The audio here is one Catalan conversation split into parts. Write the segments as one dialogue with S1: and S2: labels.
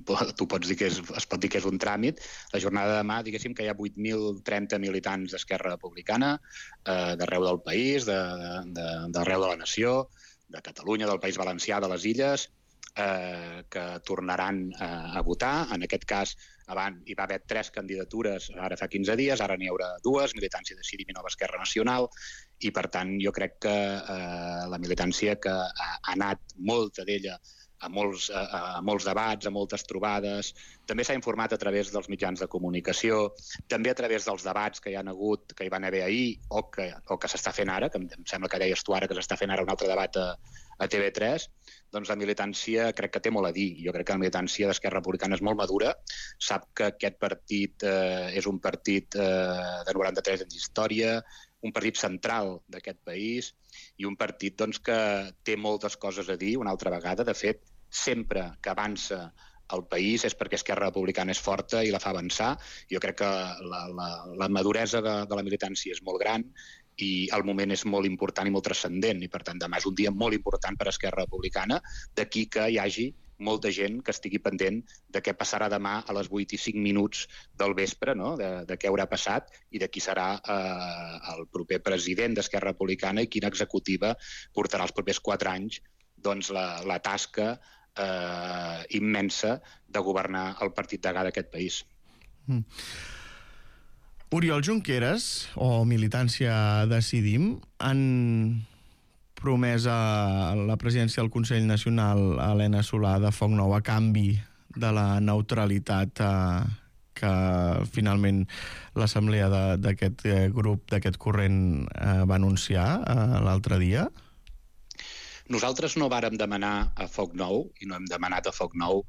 S1: tu pots dir que es pot dir que és un tràmit. La jornada de demà, diguéssim que hi ha 8.030 militants d'Esquerra Republicana d'arreu del país, d'arreu de la nació, de Catalunya, del País Valencià, de les Illes, que tornaran a votar. En aquest cas, abans hi va haver 3 candidatures, ara fa 15 dies, ara n'hi haurà 2, Militància Decidim i Nova Esquerra Nacional, i per tant jo crec que la militància que ha anat molta d'ella a molts debats, a moltes trobades, també s'ha informat a través dels mitjans de comunicació, també a través dels debats que hi han hagut, que hi van haver ahir o que s'està fent ara, que em sembla que deies tu ara que s'està fent ara un altre debat a TV3, doncs la militància crec que té molt a dir. Jo crec que la militància d'Esquerra Republicana és molt madura, sap que aquest partit és un partit de 93 anys d'història, un partit central d'aquest país i un partit doncs, que té moltes coses a dir una altra vegada. De fet, sempre que avança el país és perquè Esquerra Republicana és forta i la fa avançar. Jo crec que la maduresa de la militància és molt gran i el moment és molt important i molt transcendent, i per tant demà és un dia molt important per a Esquerra Republicana, d'aquí que hi hagi molta gent que estigui pendent de què passarà demà a les 8 i 5 minuts del vespre, no? de què haurà passat i de qui serà el proper president d'Esquerra Republicana i quina executiva portarà els propers 4 anys doncs, la tasca immensa de governar el partit degà d'aquest país.
S2: Oriol Junqueras, o Militància Decidim, han promès a la presidència del Consell Nacional a Helena Solà de Foc Nou a canvi de la neutralitat que finalment l'assemblea d'aquest grup, d'aquest corrent va anunciar l'altre dia?
S1: Nosaltres no vàrem demanar a Foc Nou, i no hem demanat a Foc Nou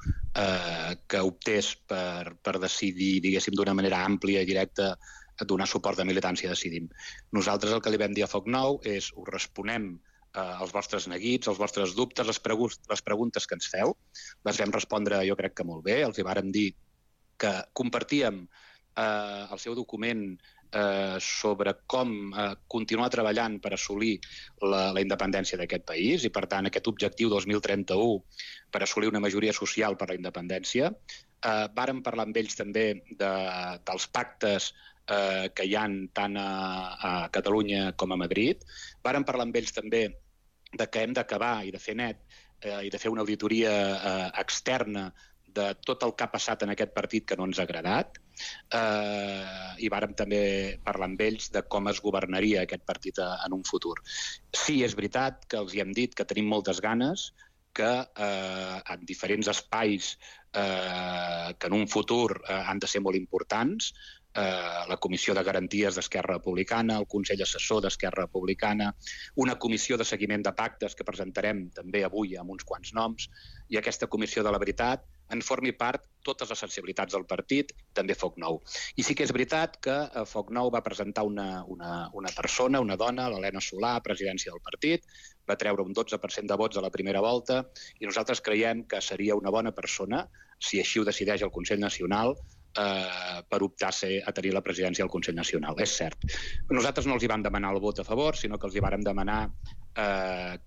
S1: que optés per decidir, diguéssim, d'una manera àmplia i directa a donar suport de Militància Decidim. Nosaltres el que li vam dir a Foc Nou és us responem els vostres neguits, els vostres dubtes, les preguntes que ens feu. Les vam respondre, jo crec que molt bé. Els hi vàrem dir que compartíem el seu document sobre com continuar treballant per assolir la independència d'aquest país i, per tant, aquest objectiu 2031 per assolir una majoria social per la independència. Vàrem parlar amb ells també dels pactes que hi ha tant a Catalunya com a Madrid. Vàrem parlar amb ells també de que hem d'acabar i de fer net i de fer una auditoria externa de tot el que ha passat en aquest partit que no ens ha agradat, i vàrem també parlar amb ells de com es governaria aquest partit en un futur. Sí, és veritat que els hi hem dit que tenim moltes ganes, que en diferents espais que en un futur han de ser molt importants, la Comissió de Garanties d'Esquerra Republicana, el Consell Assessor d'Esquerra Republicana, una comissió de seguiment de pactes que presentarem també avui amb uns quants noms, i aquesta Comissió de la Veritat en formi part totes les sensibilitats del partit, també Foc Nou. I sí que és veritat que Foc Nou va presentar una persona, una dona, l'Helena Solà, presidència del partit, va treure un 12% de vots a la primera volta, i nosaltres creiem que seria una bona persona, si així ho decideix el Consell Nacional, per optar a tenir la presidència del Consell Nacional. És cert. Nosaltres no els hi vam demanar el vot a favor, sinó que els hi vàrem demanar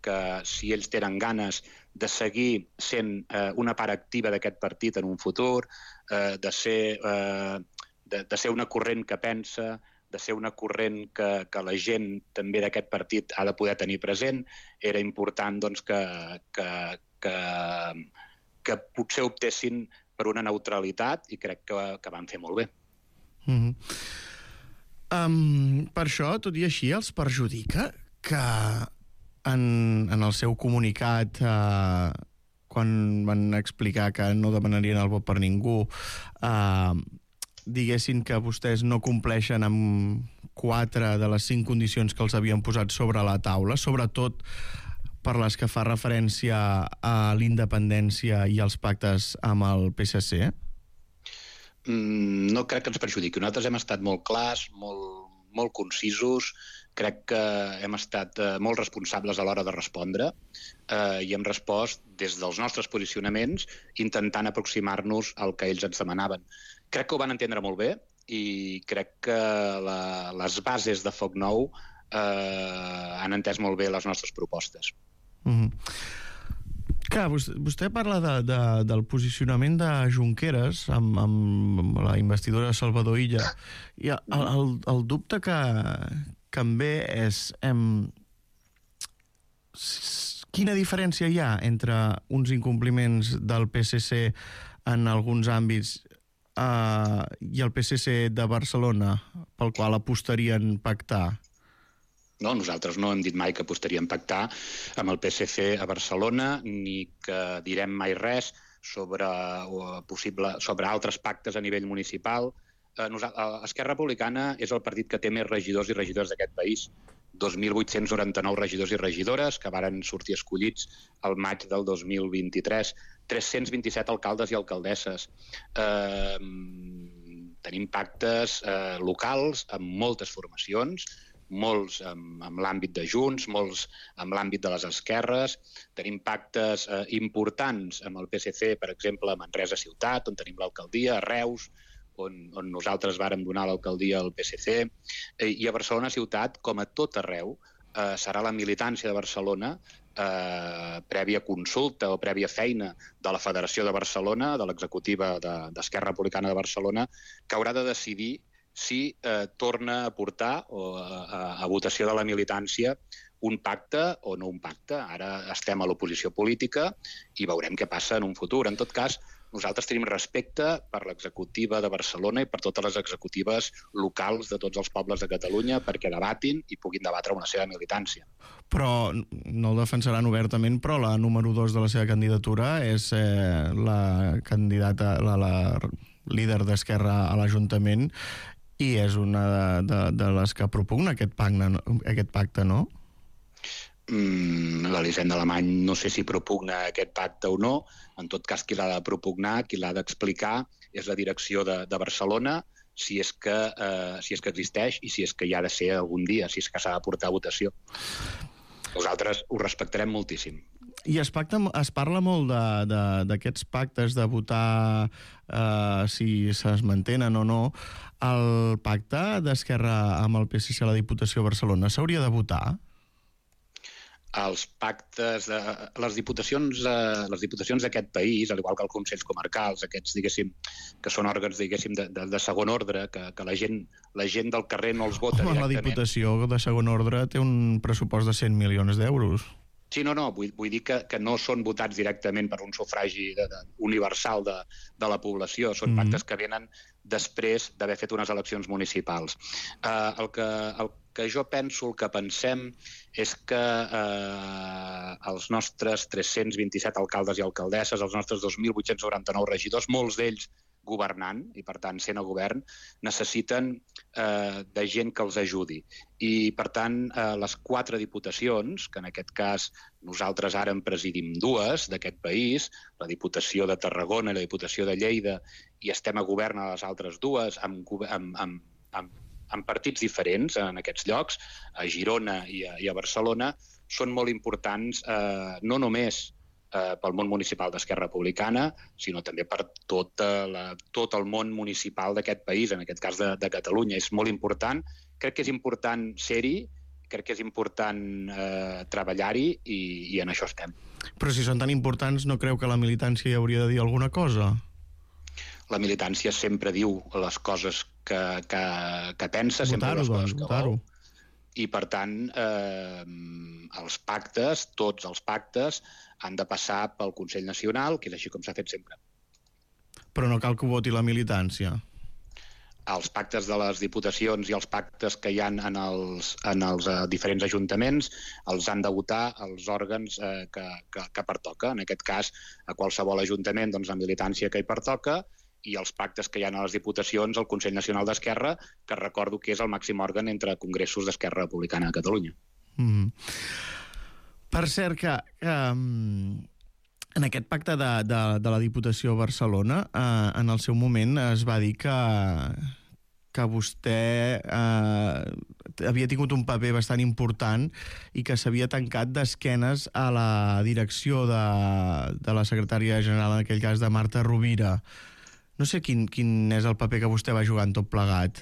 S1: que si ells tenen ganes de seguir sent una part activa d'aquest partit en un futur, de ser una corrent que pensa, de ser una corrent que la gent també d'aquest partit ha de poder tenir present, era important doncs, que potser optessin per una neutralitat, i crec que van fer molt bé.
S2: Per això, tot i així, els perjudica que en el seu comunicat, quan van explicar que no demanarien el vot per ningú, diguessin que vostès no compleixen amb 4 de les 5 condicions que els havien posat sobre la taula, sobretot per les que fa referència a l'independència i als pactes amb el PSC?
S1: No crec que ens perjudiqui. Nosaltres hem estat molt clars, molt concisos, crec que hem estat molt responsables a l'hora de respondre i hem respost des dels nostres posicionaments intentant aproximar-nos al que ells ens demanaven. Crec que ho van entendre molt bé i crec que les bases de Foc Nou han entès molt bé les nostres propostes.
S2: Clar, vostè parla del posicionament de Junqueras amb la investidura de Salvador Illa, i el dubte que em ve és quina diferència hi ha entre uns incompliments del PSC en alguns àmbits i el PSC de Barcelona, pel qual apostarien pactar?
S1: No, nosaltres no hem dit mai que apostaríem pactar amb el PSC a Barcelona, ni que direm mai res sobre altres pactes a nivell municipal. Esquerra Republicana és el partit que té més regidors i regidores d'aquest país. 2.899 regidors i regidores que varen sortir escollits al maig del 2023. 327 alcaldes i alcaldesses. Tenim pactes locals amb moltes formacions, molts amb l'àmbit de Junts, molts amb l'àmbit de les esquerres. Tenim pactes importants amb el PSC, per exemple, a Manresa ciutat, on tenim l'alcaldia, a Reus, on nosaltres vàrem donar l'alcaldia al PSC, i a Barcelona ciutat, com a tot arreu, serà la militància de Barcelona, prèvia consulta o prèvia feina de la Federació de Barcelona, de l'executiva d'Esquerra Republicana de Barcelona, que haurà de decidir si torna a portar a votació de la militància un pacte o no un pacte. Ara estem a l'oposició política i veurem què passa en un futur. En tot cas, nosaltres tenim respecte per l'executiva de Barcelona i per totes les executives locals de tots els pobles de Catalunya perquè debatin i puguin debatre una seva militància.
S2: Però no el defensaran obertament, però la número 2 de la seva candidatura és la candidata, la líder d'Esquerra a l'Ajuntament, i és una de les que propugna aquest pacte, no?
S1: L'Elisenda Alemany no sé si propugna aquest pacte o no. En tot cas, qui l'ha de propugnar, qui l'ha d'explicar, és la direcció de Barcelona, si és que existeix i si és que hi ha de ser algun dia, si és que s'ha de portar a votació. Nosaltres ho respectarem moltíssim.
S2: I es parla molt d'aquests pactes, de votar si es mantenen o no. El pacte d'Esquerra amb el PSC a la Diputació de Barcelona s'hauria de votar?
S1: Els pactes, les diputacions d'aquest país, al igual que els consells comarcals, aquests, diguéssim, que són òrgans, diguéssim, de segon ordre, que la gent del carrer no els vota directament.
S2: La Diputació de segon ordre té un pressupost de 100 milions d'euros.
S1: Sí, no, vull dir que no són votats directament per un sufragi universal de la població, són pactes que venen després d'haver fet unes eleccions municipals. El que jo penso, el que pensem, és que els nostres 327 alcaldes i alcaldesses, els nostres 2.899 regidors, molts d'ells governant, i per tant sent a govern, necessiten de gent que els ajudi. I per tant, les 4 diputacions, que en aquest cas nosaltres ara en presidim 2 d'aquest país, la Diputació de Tarragona i la Diputació de Lleida, i estem a govern a les altres 2, amb partits diferents en aquests llocs, a Girona i a Barcelona, són molt importants no només pel món municipal d'Esquerra Republicana, sinó també per tot el món municipal d'aquest país, en aquest cas de Catalunya. És molt important. Crec que és important ser-hi, crec que és important treballar-hi i en això estem.
S2: Però si són tan importants, no creu que la militància hi hauria de dir alguna cosa?
S1: La militància sempre diu les coses que pensa, sempre les coses que vol. I, per tant, els pactes, tots els pactes, han de passar pel Consell Nacional, que és així com s'ha fet sempre.
S2: Però no cal que ho voti la militància?
S1: Els pactes de les diputacions i els pactes que hi ha en els diferents ajuntaments els han de votar els òrgans que pertoca. En aquest cas, a qualsevol ajuntament, doncs, la militància que hi pertoca, i els pactes que hi ha a les diputacions, el Consell Nacional d'Esquerra, que recordo que és el màxim òrgan entre congressos d'Esquerra Republicana de Catalunya.
S2: Per cert, que en aquest pacte de la Diputació de Barcelona, en el seu moment es va dir que vostè havia tingut un paper bastant important i que s'havia tancat d'esquenes a la direcció de la secretària general, en aquell cas de Marta Rovira. No sé quin és el paper que vostè va jugar en tot plegat.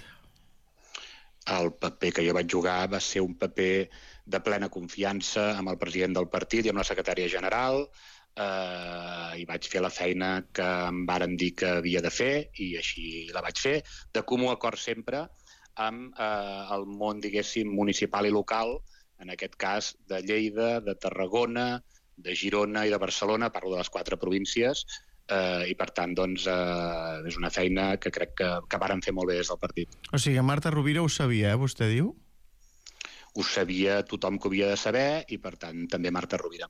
S1: El paper que jo vaig jugar va ser un paper de plena confiança amb el president del partit i amb la secretària general. i vaig fer la feina que em varen dir que havia de fer i així la vaig fer, de comú acord sempre amb el món, diguéssim, municipal i local, en aquest cas de Lleida, de Tarragona, de Girona i de Barcelona, parlo de les 4 províncies, i per tant doncs, és una feina que crec que varen fer molt bé des del partit.
S2: O sigui, Marta Rovira ho sabia, vostè diu?
S1: Ho sabia tothom que ho havia de saber i per tant també Marta Rovira.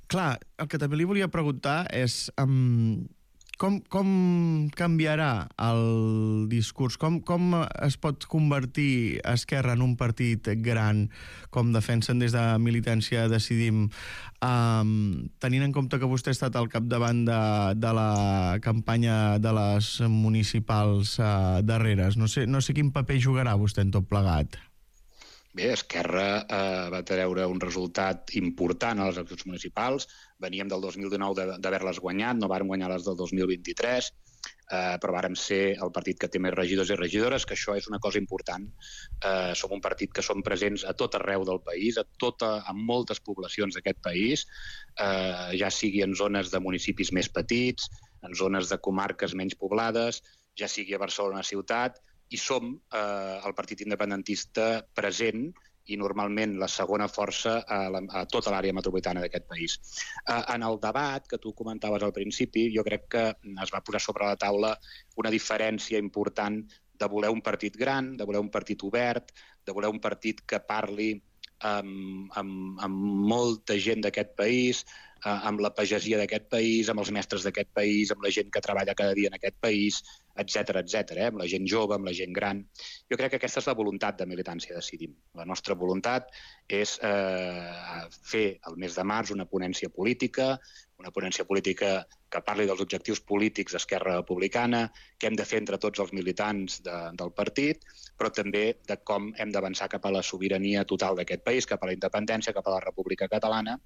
S2: Clar, el que també li volia preguntar és com canviarà el discurs? Com es pot convertir Esquerra en un partit gran, com defensen des de Militància Decidim, tenint en compte que vostè ha estat al capdavant de la campanya de les municipals darreres? No sé quin paper jugarà vostè en tot plegat.
S1: Bé, Esquerra va treure un resultat important a les eleccions municipals. Veníem del 2019 d'haver-les guanyat, no vàrem guanyar les del 2023, però vàrem ser el partit que té més regidors i regidores, que això és una cosa important. Som un partit que som presents a tot arreu del país, a moltes poblacions d'aquest país, ja sigui en zones de municipis més petits, en zones de comarques menys poblades, ja sigui a Barcelona ciutat, i som el partit independentista present i normalment la segona força a tota l'àrea metropolitana d'aquest país. En el debat que tu comentaves al principi, jo crec que es va posar sobre la taula una diferència important de voler un partit gran, de voler un partit obert, de voler un partit que parli amb molta gent d'aquest país, amb la pagesia d'aquest país, amb els mestres d'aquest país, amb la gent que treballa cada dia en aquest país, etc, amb la gent jove, amb la gent gran. Jo crec que aquesta és la voluntat de Militància Decidim. La nostra voluntat és fer el mes de març una ponència política que parli dels objectius polítics d'Esquerra Republicana, que hem de fer entre tots els militants del partit, però també de com hem d'avançar cap a la sobirania total d'aquest país, cap a la independència, cap a la República Catalana.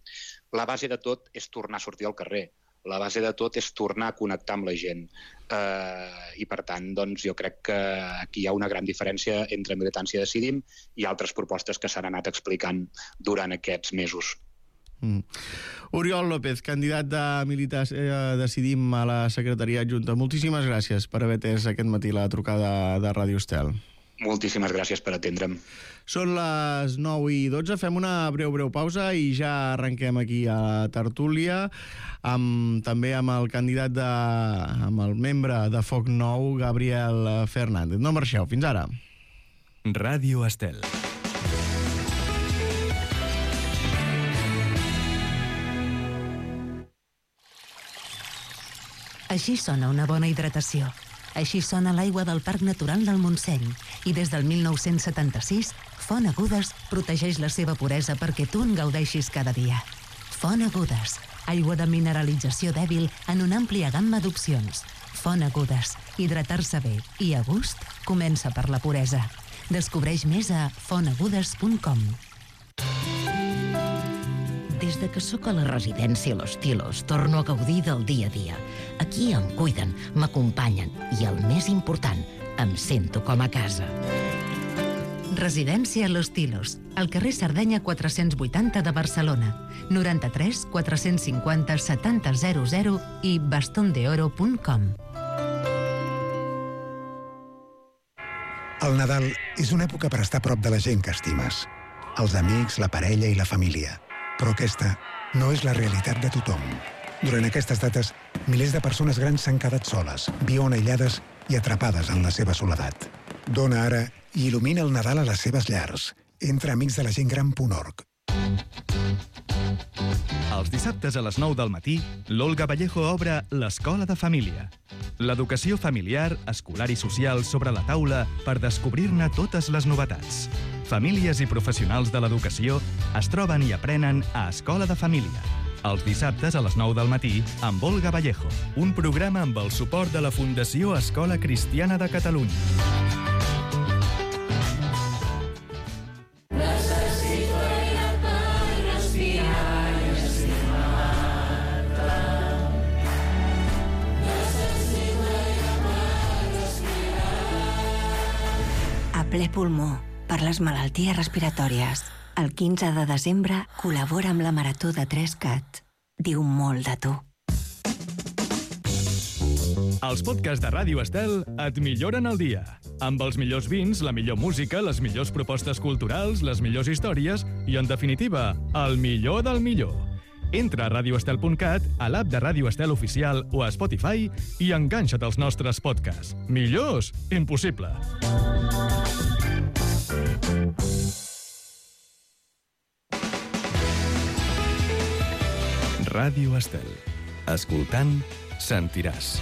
S1: La base de tot és tornar a sortir al carrer. La base de tot és tornar a connectar amb la gent. I, per tant, doncs, jo crec que aquí hi ha una gran diferència entre Militància Decidim i altres propostes que s'han anat explicant durant aquests mesos.
S2: Oriol López, candidat de Militància Decidim a la secretaria adjunta. Moltíssimes gràcies per haver atès aquest matí la trucada de Ràdio Estel.
S1: Moltíssimes gràcies per atendre'm.
S2: Són les 9:12, fem una breu pausa i ja arrenquem aquí a la tertúlia, també amb el candidat amb el membre de Foc Nou, Gabriel Fernández. No marxeu, fins ara.
S3: Ràdio Estel.
S4: Així sona una bona hidratació. Així sona l'aigua del Parc Natural del Montseny. I des del 1976, Font Agudes protegeix la seva puresa perquè tu en gaudeixis cada dia. Font Agudes, aigua de mineralització dèbil en una àmplia gamma d'opcions. Font Agudes, hidratar-se bé i a gust comença per la puresa. Descobreix més a fontagudes.com. Des de que sóc a la residència Los Tilos, torno a gaudir del dia a dia. Aquí em cuiden, m'acompanyen i, el més important, em sento com a casa. Residència Los Tilos, al carrer Sardenya 480 de Barcelona, 93 450 7000 i bastondeoro.com.
S5: El Nadal és una època per estar a prop de la gent que estimes. Els amics, la parella i la família. Però aquesta no és la realitat de tothom. Durant aquestes dates, milers de persones grans s'han quedat soles, viuen aïllades i atrapades en la seva soledat. Dona ara i il·lumina el Nadal a les seves llars. Entra a amicsdelagentgran.org.
S3: Els dissabtes a les 9 del matí, l'Olga Vallejo obre l'Escola de Família. L'educació familiar, escolar i social sobre la taula per descobrir-ne totes les novetats. Famílies i professionals de l'educació es troben i aprenen a Escola de Família. Els dissabtes a les 9 del matí amb Olga Vallejo. Un programa amb el suport de la Fundació Escola Cristiana de Catalunya.
S6: A ple pulmó, per les malalties respiratòries. El 15 de desembre col·labora amb la Marató de 3CAT. Diu molt de tu.
S3: Els podcasts de Ràdio Estel et milloren el dia. Amb els millors vins, la millor música, les millors propostes culturals, les millors històries i, en definitiva, el millor del millor. Entra a radioestel.cat, a l'app de Ràdio Estel Oficial o a Spotify i enganxa't als nostres podcasts. Millors? Impossible. Ràdio Estel. Escoltant, sentiràs.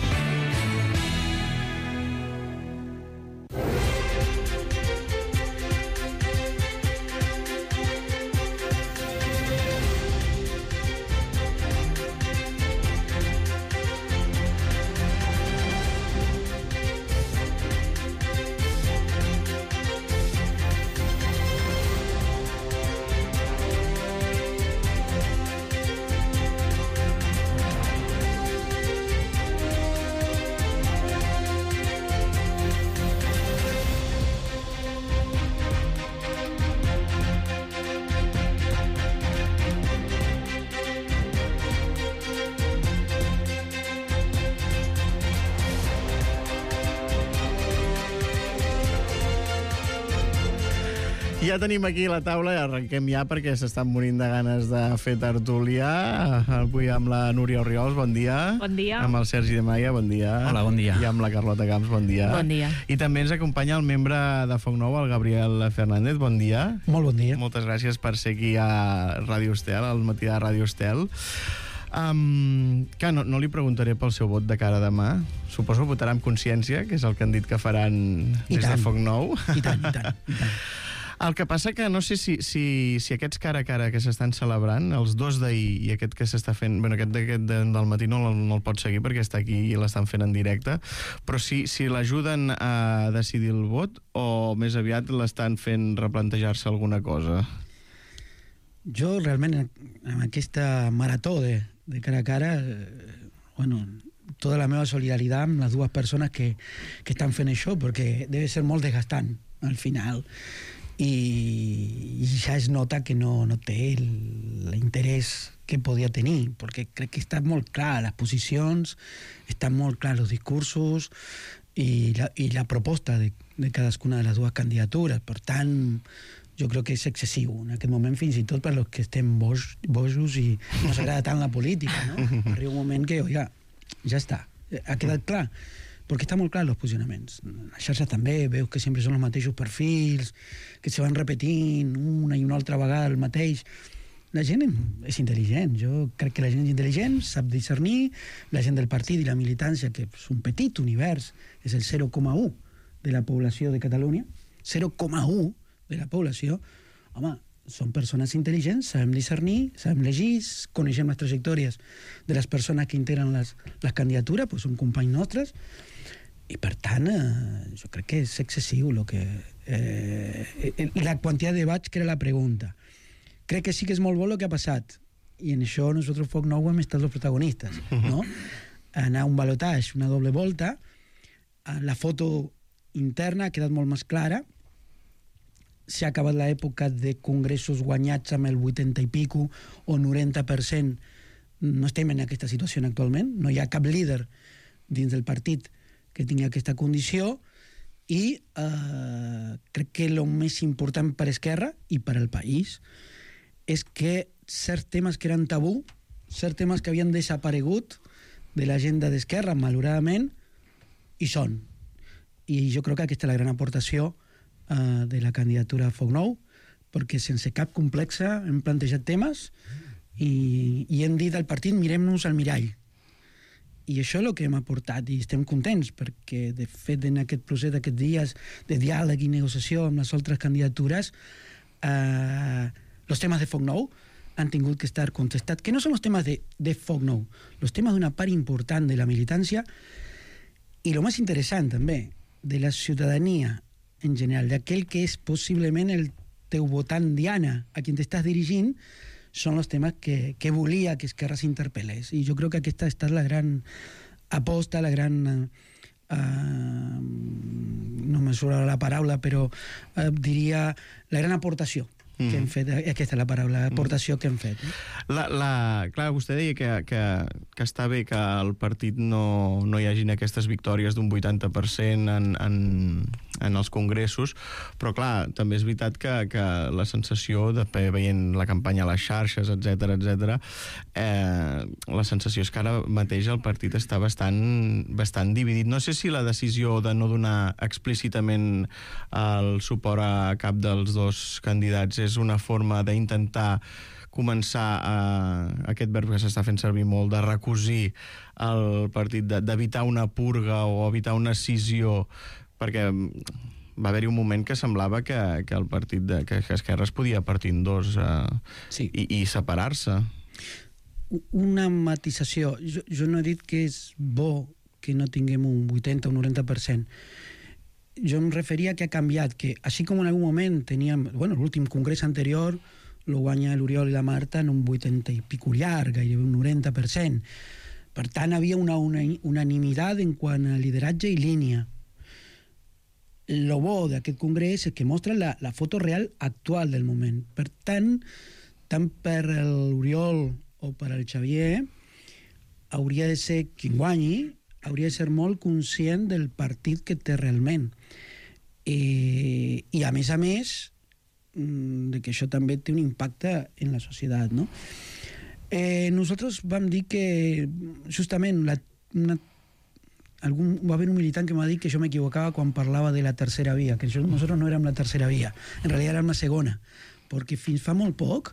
S2: Ja tenim aquí la taula i arrenquem ja perquè s'estan morint de ganes de fer tertúlia. Avui amb la Núria Orriols, bon dia.
S7: Bon dia.
S2: Amb el Sergi de Maia, bon dia.
S8: Hola, bon dia.
S2: I amb la Carlota Camps, bon dia.
S7: Bon dia.
S2: I també ens acompanya el membre de Foc Nou, el Gabriel Fernández, bon dia.
S8: Molt bon dia.
S2: Moltes gràcies per ser aquí a Ràdio Estel, al matí de Ràdio Estel. Que no li preguntaré pel seu vot de cara a demà. Suposo que votarà amb consciència, que és el que han dit que faran des de Foc Nou.
S8: I tant, i tant.
S2: El que passa que no sé si aquests cara a cara que s'estan celebrant, els dos d'ahir i aquest que s'està fent... Bueno, aquest del matí no el pot seguir perquè està aquí i l'estan fent en directe, però si l'ajuden a decidir el vot o més aviat l'estan fent replantejar-se alguna cosa?
S8: Jo realment en aquesta marató de cara a cara, tota la meva solidaritat amb les dues persones que estan fent això, perquè deve ser molt desgastant al final. I ja es nota que no té l'interès que podia tenir, perquè crec que està molt clar les posicions, estan molt clars els discursos i la proposta de cadascuna de les dues candidatures. Per tant, jo crec que és excessiu en aquest moment, fins i tot per als que estem bojos i no s'agrada tant la política, no? Arriba un moment que, oiga, ja està, ha quedat clar. Perquè està molt clar els posicionaments. A xarxa també veus que sempre són els mateixos perfils, que se van repetint una i una altra vegada el mateix. La gent és intel·ligent. Jo crec que la gent és intel·ligent, sap discernir. La gent del partit i la militància, que és un petit univers, és el 0,1 de la població de Catalunya. 0,1 de la població. Home, són persones intel·ligents, sabem discernir, sabem llegir, coneixem les trajectòries de les persones que integren les candidatures, doncs són companys nostres, i per tant jo crec que és excessiu la quantitat de debats, que era la pregunta. Crec que sí que és molt bo el que ha passat, i en això nosaltres Foc Nou hem estat els protagonistes, no? Anar a un balotatge, una doble volta, la foto interna ha quedat molt més clara, s'ha acabat l'època de congressos guanyats amb el 80 i pico o 90%. No estem en aquesta situació actualment, no hi ha cap líder dins del partit que tingui aquesta condició, i crec que el més important per Esquerra i per al país és que certs temes que eren tabú, certs temes que havien desaparegut de l'agenda d'Esquerra, malauradament, hi són. I jo crec que aquesta és la gran aportació de la candidatura a Foc Nou, perquè sense cap complexa hem plantejat temes i hem dit al partit, mirem-nos al mirall. I això és el que hem aportat i estem contents, perquè de fet en aquest procés d'aquests dies de diàleg i negociació amb les altres candidatures, els temes de Foc Nou han tingut que estar contestats, que no són els temes de Foc Nou, els temes d'una part important de la militància i el més interessant també, de la ciutadania en general, d'aquell que és possiblement el teu votant diana, a qui t'estàs dirigint, són els temes que volia que Esquerra s'interpel·lés. I jo crec que aquesta ha estat la gran aposta, la gran... no me surt la paraula, però diria la gran aportació que hem fet, aquesta és la paraula, l'aportació que hem fet.
S2: Clar, vostè deia que està bé que al partit no hi hagin aquestes victòries d'un 80% en els congressos, però clar, també és veritat que la sensació, veient la campanya a les xarxes, etc, la sensació és que ara mateix el partit està bastant dividit. No sé si la decisió de no donar explícitament el suport a cap dels dos candidats és una forma d'intentar començar aquest verb que s'està fent servir molt, de recosir el partit, d'evitar una purga o evitar una escissió, perquè va haver-hi un moment que semblava que el partit, que Esquerra es podia partir en dos i separar-se.
S8: Una matisació. Jo no he dit que és bo que no tinguem un 80 o un 90%. Jo em referia que ha canviat, que així com en algun moment teníem, l'últim congrés anterior lo guanya l'Oriol i la Marta en un 80 i pico llarg, gairebé un 90%. Per tant, havia una unanimitat en quant a lideratge i línia. Lo bo d'aquest congrés és que mostra la foto real actual del moment. Per tant per l'Oriol o per al Xavier, hauria de ser qui guanyi, hauria de ser molt conscient del partit que té realment. I a més, de que això també té un impacte en la societat, no? Nosaltres vam dir que, justament, va haver un militant que m'ha dit que jo m'equivocava quan parlava de la tercera via, que nosaltres no érem la tercera via, en realitat érem la segona, perquè fins fa molt poc,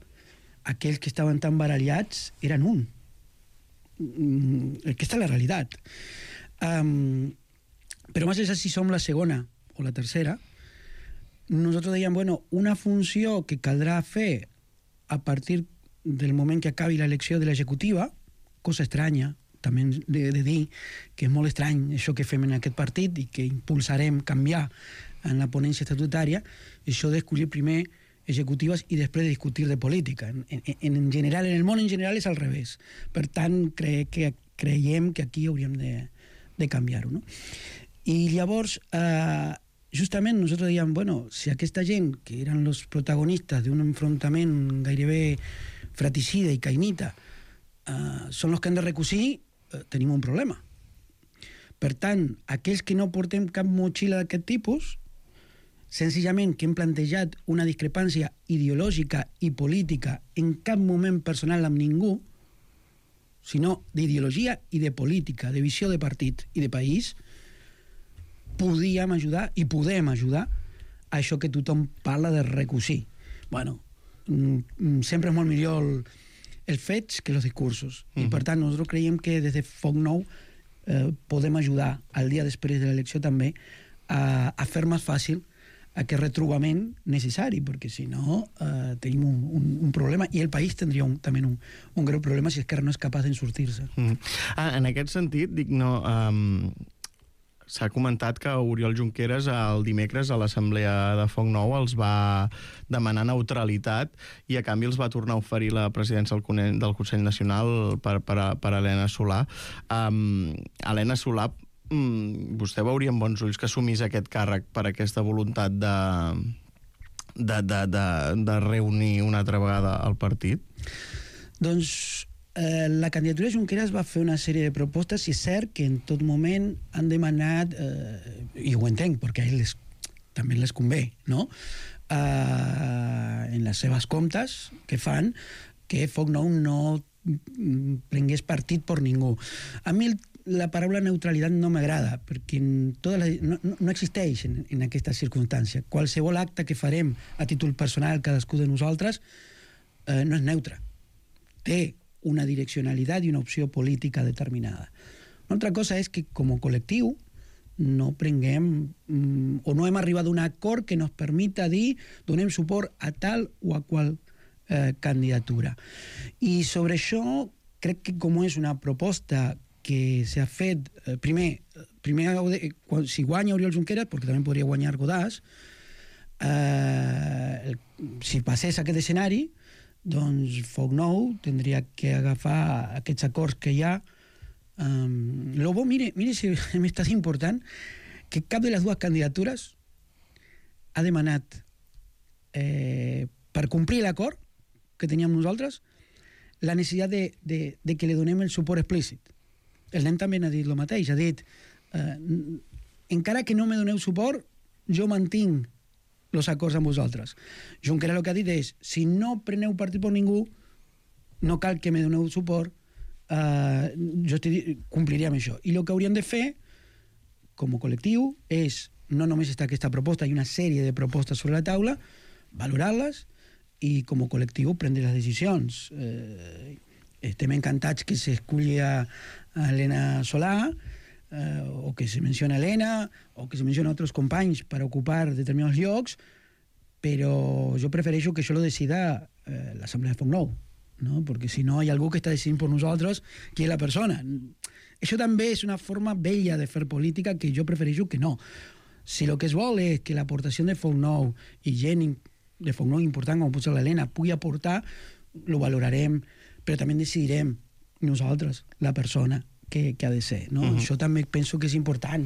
S8: aquells que estaven tan barallats eren un. Aquesta és la realitat. Però més enllà si som la segona o la tercera, nosaltres dèiem, una funció que caldrà fer a partir del moment que acabi l'elecció de l'executiva, cosa estranya, també de dir que és molt estrany això que fem en aquest partit i que impulsarem canviar en la ponència estatutària, això d'escollir primer executives i després de discutir de política. En general, en el món en general és al revés. Per tant, creiem que aquí hauríem de canviar-ho, no? I llavors, justament nosaltres dèiem, si aquesta gent, que eren els protagonistes d'un enfrontament gairebé fratricida i caïnita, són els que han de recosir, tenim un problema. Per tant, aquells que no portem cap motxilla d'aquest tipus, senzillament que hem plantejat una discrepància ideològica i política en cap moment personal amb ningú, sinó d'ideologia i de política, de visió de partit i de país, podíem ajudar i podem ajudar a això que tothom parla de recosir. Sempre és molt millor els fets que els discursos. I per tant, nosaltres creiem que des de Foc Nou podem ajudar al dia després de l'elecció també a fer més fàcil aquest retrobament necessari, perquè si no tenim un problema i el país tindria també un greu problema si Esquerra no és capaç de sortir-se.
S2: En aquest sentit, s'ha comentat que Oriol Junqueras el dimecres a l'assemblea de Foc Nou els va demanar neutralitat i a canvi els va tornar a oferir la presidència del Consell Nacional per Helena Solà. Helena Solà, vostè veuria amb bons ulls que assumís aquest càrrec per aquesta voluntat de reunir una altra vegada el partit?
S8: Doncs la candidatura de Junqueras va fer una sèrie de propostes i és cert que en tot moment han demanat, i ho entenc, perquè a ells també les convé, no? En les seves comptes que fan, que Foc Nou no prengués partit per ningú. A mi la paraula neutralitat no m'agrada, perquè no existeix en aquesta circumstància. Qualsevol acte que farem a títol personal cadascú de nosaltres no és neutre. Té una direccionalitat i una opció política determinada. Una altra cosa és que, com a col·lectiu, no prenguem o no hem arribat a un acord que nos permita dir donem suport a tal o a qual candidatura. I sobre això crec que com és una proposta que s'ha fet primer si guanya Oriol Junqueras, perquè també podria guanyar Godàs, si passés aquest escenari, doncs Foc Nou tindria que agafar aquests acords que hi ha. Lo bo, mire si m'està important, que cap de les dues candidatures ha demanat per complir l'acord que teníem nosaltres, la necessitat de que li donem el suport explícit. El nen també n'ha dit el mateix, ha dit encara que no me doneu suport, jo mantinc els acords amb vosaltres. Junqueras el que ha dit és, si no preneu partit per ningú, no cal que me doneu suport, jo compliré amb això. I el que hauríem de fer, com a col·lectiu, és, no només està aquesta proposta, hi ha una sèrie de propostes sobre la taula, valorar-les i, com a col·lectiu, prendre les decisions. Estem encantats que s'esculli a Elena Solà, o que se menciona Elena, o que se menciona altres companys per ocupar determinats llocs, però jo prefereixo que això lo decida l'Assemblea de Foc-Nou, no? Perquè si no hi ha algú que està decidint per nosaltres qui és la persona. Això també és una forma vella de fer política que jo prefereixo que no. Si el que es vol és que l'aportació de Foc-Nou i gent de Foc-Nou important, com pot ser l'Helena, pugui aportar, lo valorarem, però també decidirem nosaltres, la persona que ha de ser, no? Això també penso que és important.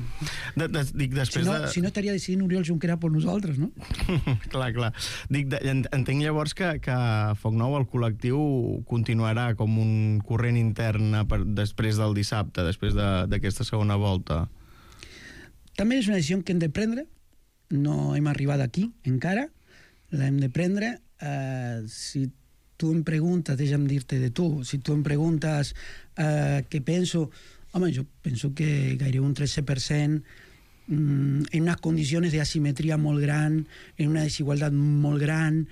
S2: Dic, després
S8: si no estaria decidint Oriol Junqueras per nosaltres, no?
S2: Clar. Dic, entenc llavors que Foc-Nou, el col·lectiu, continuarà com un corrent intern després del dissabte, després d'aquesta segona volta.
S8: També és una decisió que hem de prendre, no hem arribat aquí encara, l'hem de prendre. Si tu em preguntes, deixa'm dir-te de tu, si tu em preguntes què penso, home, jo penso que gairebé un 13% en unes condicions d'asimetria molt gran, en una desigualtat molt gran,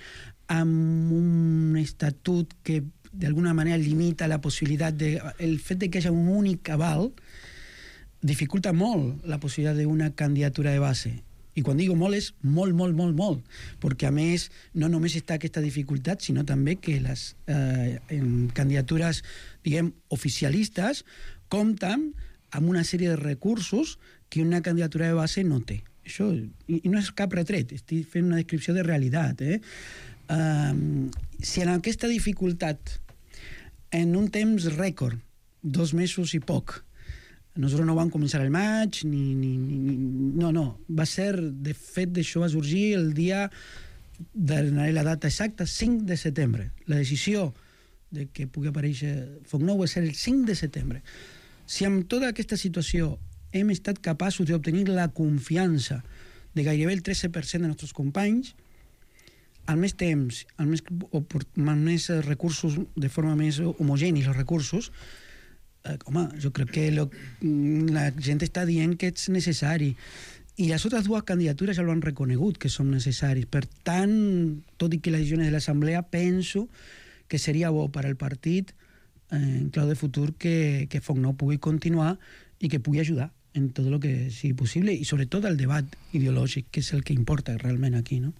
S8: amb un estatut que d'alguna manera limita la possibilitat de... El fet de que hi hagi un únic aval dificulta molt la possibilitat d'una candidatura de base. I quan digo molt és molt, perquè a més no només està aquesta dificultat, sinó també que les candidatures, diguem, oficialistes compten amb una sèrie de recursos que una candidatura de base no té. Això, i no és cap retret, estic fent una descripció de realitat. Si en aquesta dificultat, en un temps rècord, 2 mesos i poc, nosaltres no vam començar el maig, no. Va ser, de fet, això va sorgir el dia, donaré la data exacta, 5 de setembre. La decisió de que pugui aparèixer Foc-Nou va ser el 5 de setembre. Si amb tota aquesta situació hem estat capaços d'obtenir la confiança de gairebé el 13% de nostres companys, al més temps, amb més recursos, de forma més homogènia, els recursos, home, jo crec que la gent està dient que és necessari. I les altres 2 candidatures ja ho han reconegut, que són necessaris. Per tant, tot i que les decisions de l'Assemblea, penso que seria bo per al partit, en clau de futur, que Foc-Nou pugui continuar i que pugui ajudar en tot el que sigui possible, i sobretot el debat ideològic, que és el que importa realment aquí, no?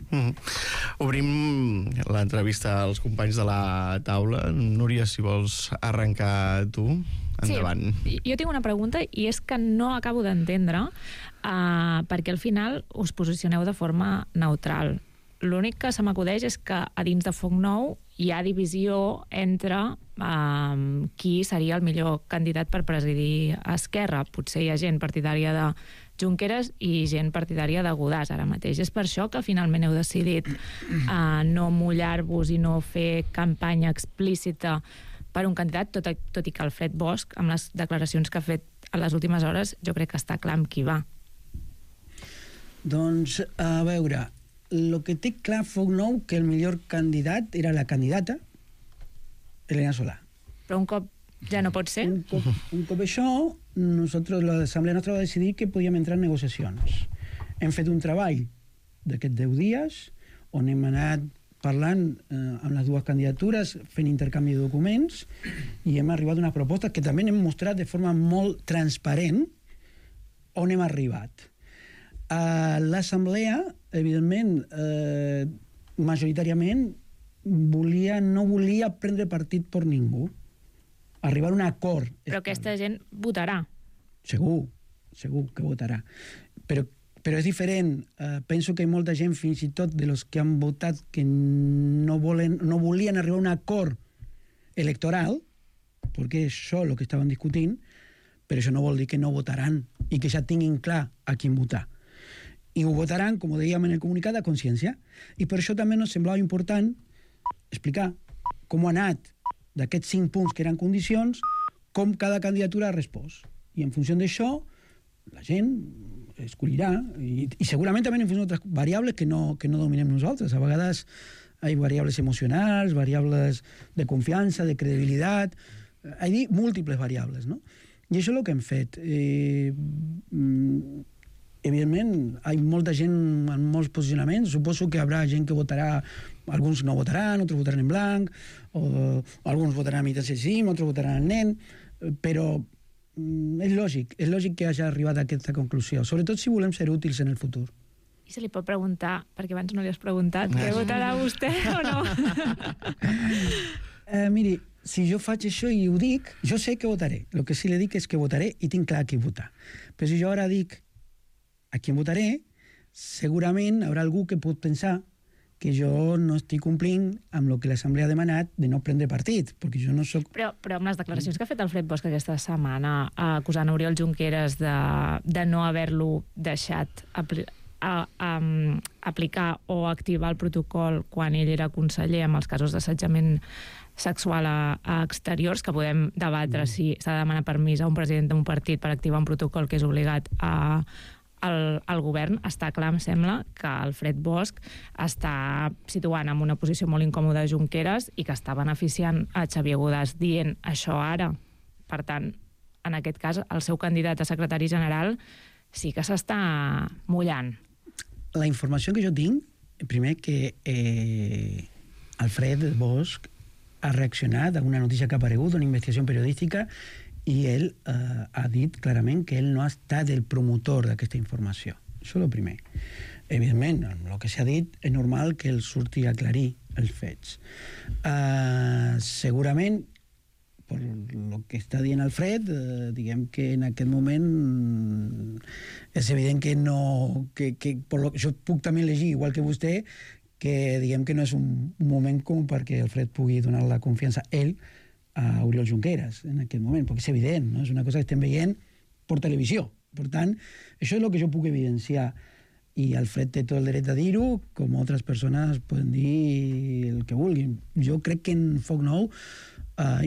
S2: Obrim l'entrevista als companys de la taula. Núria, si vols arrencar tu, endavant.
S7: Sí, jo tinc una pregunta, i és que no acabo d'entendre perquè al final us posicioneu de forma neutral. L'únic que se m'acudeix és que a dins de Foc-Nou hi ha divisió entre qui seria el millor candidat per presidir Esquerra. Potser hi ha gent partidària de Junqueras i gent partidària de Godàs ara mateix. És per això que finalment heu decidit no mullar-vos i no fer campanya explícita per un candidat, tot i que Alfred Bosch, amb les declaracions que ha fet a les últimes hores, jo crec que està clar amb qui va.
S8: Doncs, a veure, el que té clar Foc-Nou que el millor candidat era la candidata Elena Solà.
S7: Però un cop ja no pot ser?
S8: Un cop això, l'Assemblea nostra va decidir que podíem entrar en negociacions. Hem fet un treball d'aquests 10 dies on hem anat parlant amb les 2 candidatures, fent intercanvi de documents, i hem arribat a unes propostes que també hem mostrat de forma molt transparent on hem arribat. L'Assemblea, evidentment, majoritàriament, no volia prendre partit per ningú, arribar a un acord.
S7: Però aquesta gent votarà.
S8: Segur que votarà. Però és diferent. Penso que hi ha molta gent, fins i tot de los que han votat, que no volien arribar a un acord electoral, perquè és això el que estaven discutint, però això no vol dir que no votaran i que ja tinguin clar a quin votar. I ho votaran, com dèiem en el comunicat, a consciència. I per això també ens semblava important explicar com ha anat d'aquests 5 punts que eren condicions, com cada candidatura ha respost. I en funció d'això, la gent escollirà, i segurament també en funció d'altres variables que no dominem nosaltres. A vegades hi ha variables emocionals, variables de confiança, de credibilitat, hi ha múltiples variables, no? I això és el que hem fet. Evidentment, hi ha molta gent en molts posicionaments. Suposo que hi haurà gent que votarà, alguns no votaran, altres votaran en blanc, o alguns votaran a militància de CIDIM, altres votaran el nen, però és lògic que hagi arribat a aquesta conclusió, sobretot si volem ser útils en el futur.
S7: I se li pot preguntar, perquè abans no li has preguntat, què votarà vostè o no?
S8: Miri, si jo faig això i ho dic, jo sé que votaré. El que sí li dic és que votaré i tinc clar qui votar. Però si jo ara dic a qui votaré, segurament haurà algú que pot pensar que jo no estic complint amb el que l'Assemblea ha demanat de no prendre partit, perquè jo no soc...
S7: Però amb les declaracions que ha fet Alfred Bosch aquesta setmana, acusant Oriol Junqueras de no haver-lo deixat aplicar o activar el protocol quan ell era conseller amb els casos d'assetjament sexual a exteriors, que podem debatre si s'ha de demanar permís a un president d'un partit per activar un protocol que és obligat al govern, està clar, em sembla, que Alfred Bosch està situant en una posició molt incòmoda Junqueras i que està beneficiant a Xavier Godàs dient això ara. Per tant, en aquest cas, el seu candidat a secretari general sí que s'està mullant.
S8: La informació que jo tinc, primer que Alfred Bosch ha reaccionat a una notícia que ha aparegut, una investigació periodística, i ell ha dit clarament que ell no ha estat el promotor d'aquesta informació. Això és el primer. Evidentment, amb el que s'ha dit, és normal que ell surti a aclarir els fets. Segurament, per el que està dient Alfred, diguem que en aquest moment és evident que no... Jo puc també llegir, igual que vostè, que diguem que no és un moment com perquè Alfred pugui donar la confiança a ell a Oriol Junqueras en aquest moment, perquè és evident, no? És una cosa que estem veient per televisió. Per tant, això és el que jo puc evidenciar, i Alfred té tot el dret a dir-ho, com altres persones poden dir el que vulguin. Jo crec que en Foc Nou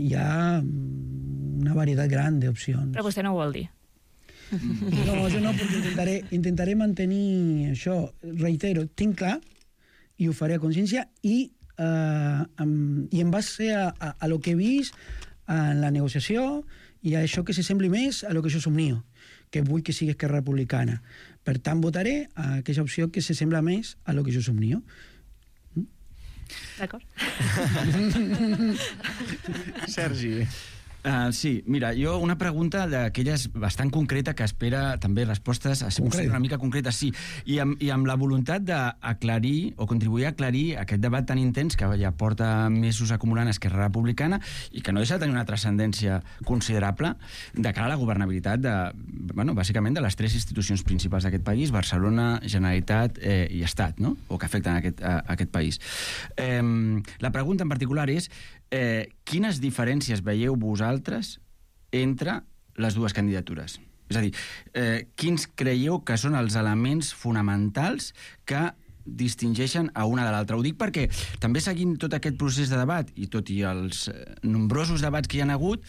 S8: hi ha una varietat gran d'opcions.
S7: Però vostè no ho vol dir.
S8: No, jo no, perquè intentaré mantenir això. Reitero, tinc clar, i ho faré a consciència, i en base a lo que he vist en la negociació i a això que s'assembli més a lo que jo somnio, que vull que sigui Esquerra Republicana. Per tant, votaré a aquella opció que s'assembla més a lo que jo somnio.
S7: D'acord.
S2: Sergi.
S9: Sí, mira, jo una pregunta d'aquelles bastant concreta que espera també respostes una mica concretes, sí, i amb la voluntat d'aclarir o contribuir a aclarir aquest debat tan intens que ja porta mesos acumulant Esquerra Republicana i que no deixa de tenir una transcendència considerable de cara a la governabilitat bàsicament de les 3 institucions principals d'aquest país, Barcelona, Generalitat i Estat, no? O que afecten aquest país. La pregunta en particular és quines diferències veieu vosaltres entre les dues candidatures? És a dir, quins creieu que són els elements fonamentals que distingeixen a una de l'altra? Ho dic perquè també seguint tot aquest procés de debat i tot i els nombrosos debats que hi ha hagut,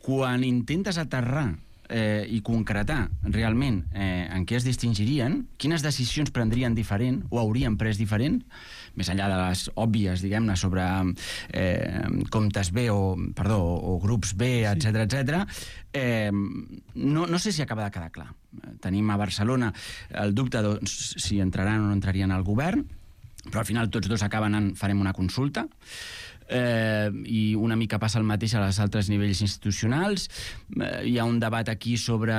S9: quan intentes aterrar i concretar realment en què es distingirien, quines decisions prendrien diferent o haurien pres diferent, més enllà de les òbvies, diguem-ne, sobre comptes B o grups B, etc. No sé si acaba de quedar clar. Tenim a Barcelona el dubte de si entraran o no entrarien al govern, però al final tots dos acaben farem una consulta, i una mica passa el mateix a les altres nivells institucionals. Hi ha un debat aquí sobre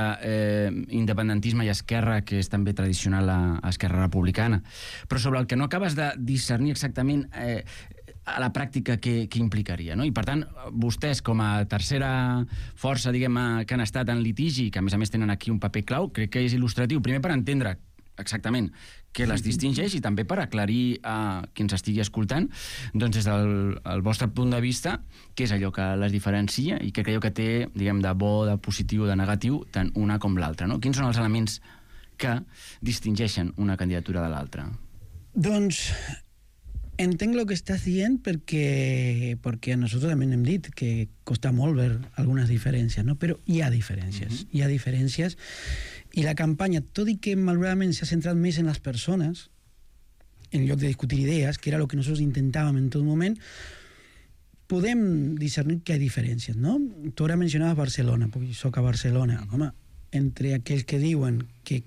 S9: independentisme i esquerra que és també tradicional a Esquerra Republicana, però sobre el que no acabes de discernir exactament a la pràctica què implicaria, no? I per tant, vostès com a tercera força, diguem, que han estat en litigi, que a més tenen aquí un paper clau, crec que és il·lustratiu, primer per entendre exactament què les distingeix i també per aclarir a qui ens estigui escoltant, doncs des del vostre punt de vista, què és allò que les diferencia i què creieu que té, diguem, de bo, de positiu, de negatiu, tant una com l'altra, no? Quins són els elements que distingeixen una candidatura de l'altra?
S8: Doncs entenc el que estàs dient perquè nosaltres també hem dit que costa molt ver algunes diferències, no? Però hi ha diferències, hi ha diferències, i la campanya, tot i que malauradament s'ha centrat més en les persones, en lloc de discutir idees, que era el que nosaltres intentàvem en tot moment, podem discernir que hi ha diferències, no? Tu ara mencionaves Barcelona, perquè soc a Barcelona. Home, entre aquells que diuen que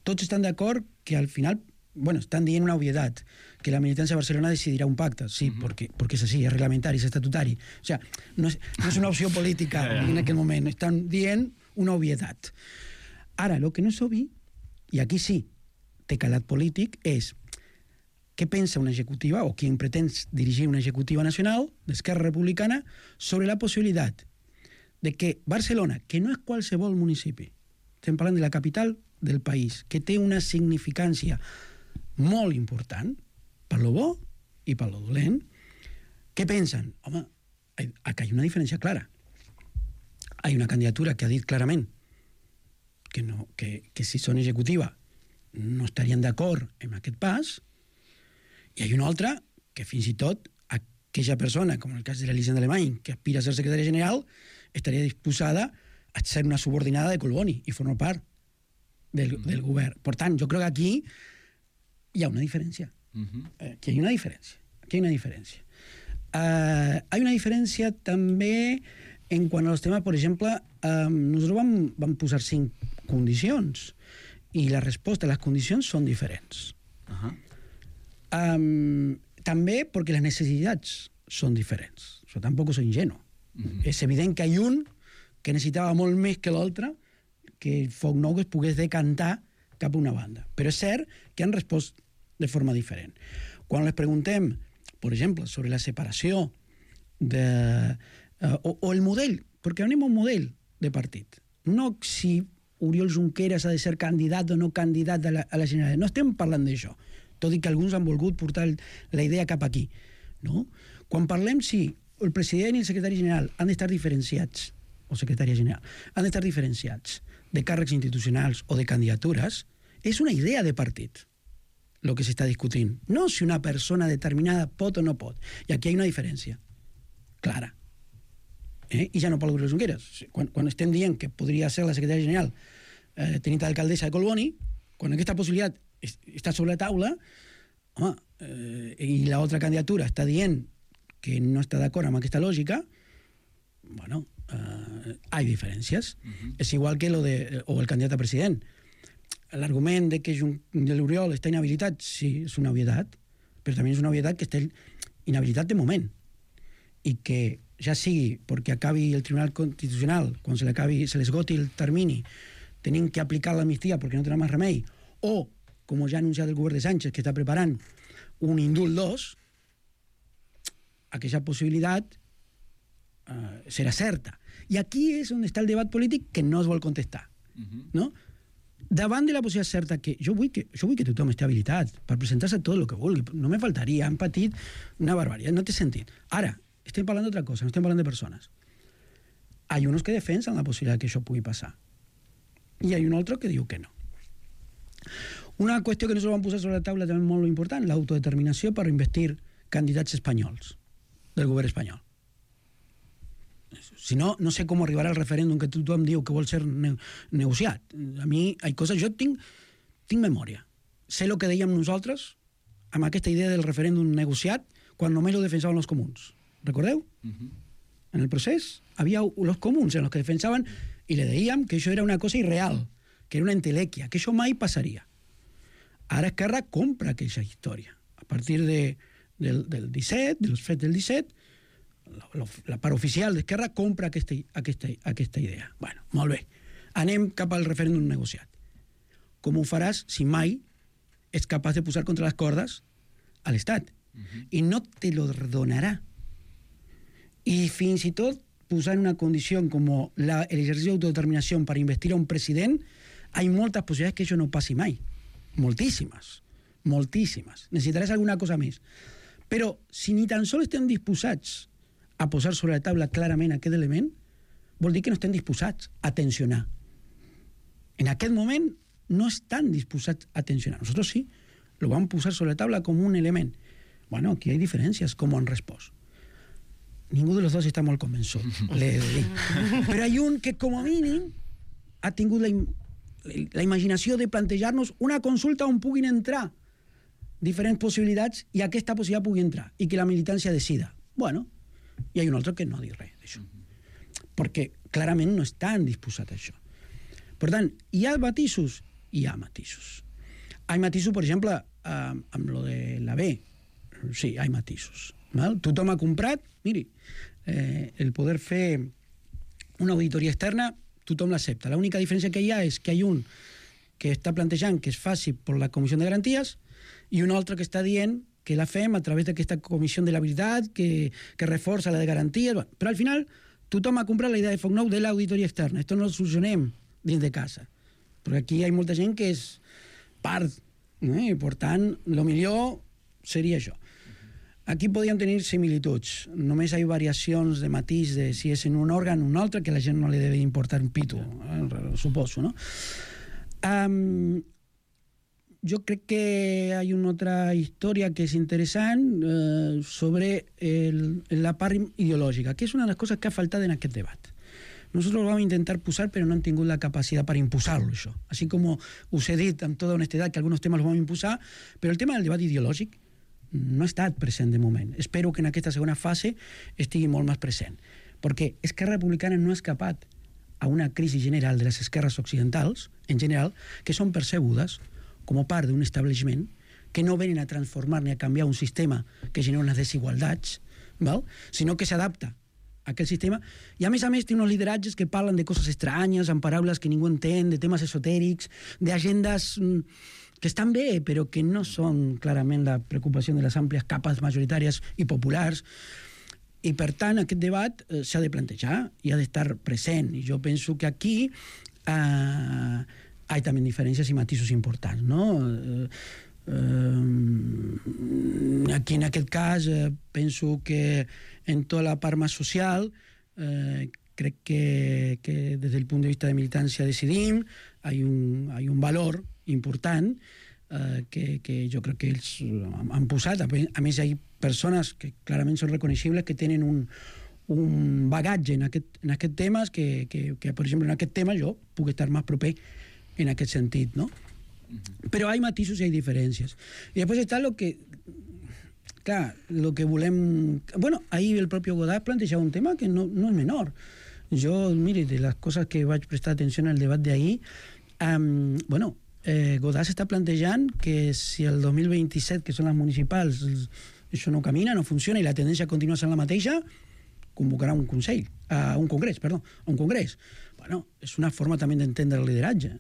S8: tots estan d'acord que al final, bueno, estan dient una obvietat, que la militancia de Barcelona decidirà un pacte, sí, porque es así, es reglamentari, es estatutari. O sea, no és una opció política en aquell moment, estan dient una obvietat. Ara, el que no és obvi, i aquí sí té calat polític, és què pensa una executiva, o qui pretén dirigir una executiva nacional d'Esquerra Republicana, sobre la possibilitat de que Barcelona, que no és qualsevol municipi, estem parlant de la capital del país, que té una significància molt important, per lo bo i per lo dolent, què pensen? Home, aquí hi ha una diferència clara. Hi ha una candidatura que ha dit clarament que si són executiva no estarien d'acord amb aquest pas, i hi ha una altra que fins i tot aquella persona, com en el cas de l'Elisenda Alemany, que aspira a ser secretària general, estaria disposada a ser una subordinada de Collboni i formar part del govern. Per tant, jo crec que aquí hi ha una diferència. Aquí hi ha una diferència. Hay una diferència també en quant als temes, per exemple, nosaltres vam posar 5 condicions i la resposta a les condicions són diferents. També perquè les necessitats són diferents. Això tampoc soy ingenuo. És evident que hi ha un que necessitava molt més que l'altre que el Foc Nou es pogués decantar cap a una banda. Però és cert que han respost de forma diferent. Quan les preguntem, per exemple, sobre la separació o el model, perquè anem a un model de partit, no si Oriol Junqueras ha de ser candidat o no candidat a la Generalitat, no estem parlant d'això, tot i que alguns han volgut portar la idea cap aquí. No? Quan parlem si el president i el secretari general han d'estar diferenciats, o secretària general, han d'estar diferenciats de càrrecs institucionals o de candidatures, és una idea de partit el que s'està discutint. No si una persona determinada pot o no pot. I aquí hi ha una diferència clara. I ja no parlo de Junqueras. Quan estem dient que podria ser la secretària general tenint d'alcaldessa de Collboni, quan aquesta possibilitat està sobre la taula, home, i l'altra candidatura està dient que no està d'acord amb aquesta lògica, bueno, hay diferències. És igual que el candidat a president. L'argument de que l'Oriol està inhabilitat, sí, és una obvietat, però també és una obvietat que està inhabilitat de moment, i que ja sigui perquè acabi el Tribunal Constitucional, quan se l'esgoti el termini, tenim que aplicar l'amnistia perquè no tenen més remei, o, com ja ha anunciat el govern de Sánchez, que està preparant un indult 2, aquesta possibilitat serà certa. I aquí és on està el debat polític que no es vol contestar. No? Davant de la possibilitat certa que jo vull que tothom estigui habilitat per presentar-se tot el que vulgui, no me faltaria, han patit una barbaritat, no té sentit. Ara, estem parlant d'altra cosa, no estem parlant de persones. Hi ha uns que defensen la possibilitat que això pugui passar i hi ha un altre que diu que no. Una qüestió que nosaltres vam posar sobre la taula també molt important, l'autodeterminació per investir candidats espanyols del govern espanyol. Si no, no sé com arribarà al referèndum que tothom diu que vol ser negociat. A mi, hi ha coses... Jo tinc memòria. Sé el que dèiem nosaltres amb aquesta idea del referèndum negociat quan només ho defensaven els comuns. Recordeu? En el procés havia els comuns en els que defensaven i le dèiem que això era una cosa irreal, que era una entelèquia, que això mai passaria. Ara Esquerra compra aquella història. A partir del 17, dels fets del 17, la part oficial d'Esquerra compra aquesta idea. Bueno, molt bé. Anem cap al referèndum negociat. Com ho faràs si mai ets capaç de posar contra les cordes a l'Estat? I no te lo donarà. I fins i tot posar una condició com l'exercici d'autodeterminació per investir a un president, hi ha moltes possibilitats que això no passi mai. Moltíssimes. Necessitaràs alguna cosa més. Però si ni tan sols estem disposats a posar sobre la taula clarament aquest element, vol dir que no estem disposats a tensionar. En aquest moment no están dispuestos a tensionar. Nosotros sí, lo vamos a posar sobre la taula com un element. Bueno, aquí hay diferències, com han respost. Ningú de los dos està molt convençut, l'he de dir. Però hi ha un que, com a mínim, ha tingut la imaginació de plantejar-nos una consulta on puguin entrar diferents possibilitats i aquesta possibilitat pugui entrar i que la militància decida. Bueno, i hi ha un altre que no ha dit res d'això. Perquè clarament no estan disposats a això. Per tant, hi ha matisos? Hi ha matisos. Hi ha matisos, per exemple, amb lo de la B. Sí, hi ha matisos. Tothom ha comprat, miri, el poder fer una auditoria externa, tothom l'accepta. L'única diferència que hi ha és que hi ha un que està plantejant que es faci per la Comissió de Garanties i un altre que està dient que la fem a través d'aquesta Comissió de la Veritat que reforça la de Garanties. Però al final tothom ha comprat la idea de Foc Nou de l'auditoria externa. Esto no lo solucionem dins de casa. Perquè aquí hi ha molta gent que és part, i per tant, el millor seria això. Aquí podríem tenir similituds. Només hi ha variacions de matís de si és en un òrgan o un altre, que a la gent no li deve importar un pito, suposo, no? Jo crec que hi ha una altra història que és interessant sobre la part ideològica, que és una de les coses que ha faltat en aquest debat. Nosotros lo vamos a intentar posar, pero no han tingut la capacidad para impulsarlo això. Así como us he dit amb tota honestedat que alguns temes los vamos a impulsar, però el tema del debat ideològic no ha estat present de moment. Espero que en aquesta segona fase estigui molt més present. Perquè Esquerra Republicana no ha escapat a una crisi general de les esquerres occidentals, en general, que són percebudes com a part d'un establishment que no venen a transformar ni a canviar un sistema que genera unes desigualdats, sinó que s'adapta a aquell sistema. I a més té uns lideratges que parlen de coses estranyes, amb paraules que ningú entén, de temes esotèrics, d'agendes que estan bé, però que no són clarament la preocupació de les àmplies capes majoritàries i populars. I, per tant, aquest debat s'ha de plantejar i ha d'estar present. I jo penso que aquí hi ha també diferències i matisos importants, no? Aquí, en aquest cas, penso que en tota la part més social crec que des del punt de vista de militància decidim, hi ha un valor important que jo crec que ells han posat. A més, hi ha persones que clarament són reconeixibles, que tenen un bagatge en aquest temes que, per exemple, en aquest tema jo puc estar més proper en aquest sentit, no? Però hi ha matisos i hi ha diferències. I després està el que... Clar, el que volem... Bueno, ahir el propi Godard plantejava un tema que no és menor. Jo, mire, de les coses que vaig prestar atenció en el debat d'ahir, Godard s'està plantejant que si el 2027, que són les municipals, això no camina, no funciona i la tendència continua sent la mateixa, convocarà un congrés. Bueno, és una forma també d'entendre el lideratge.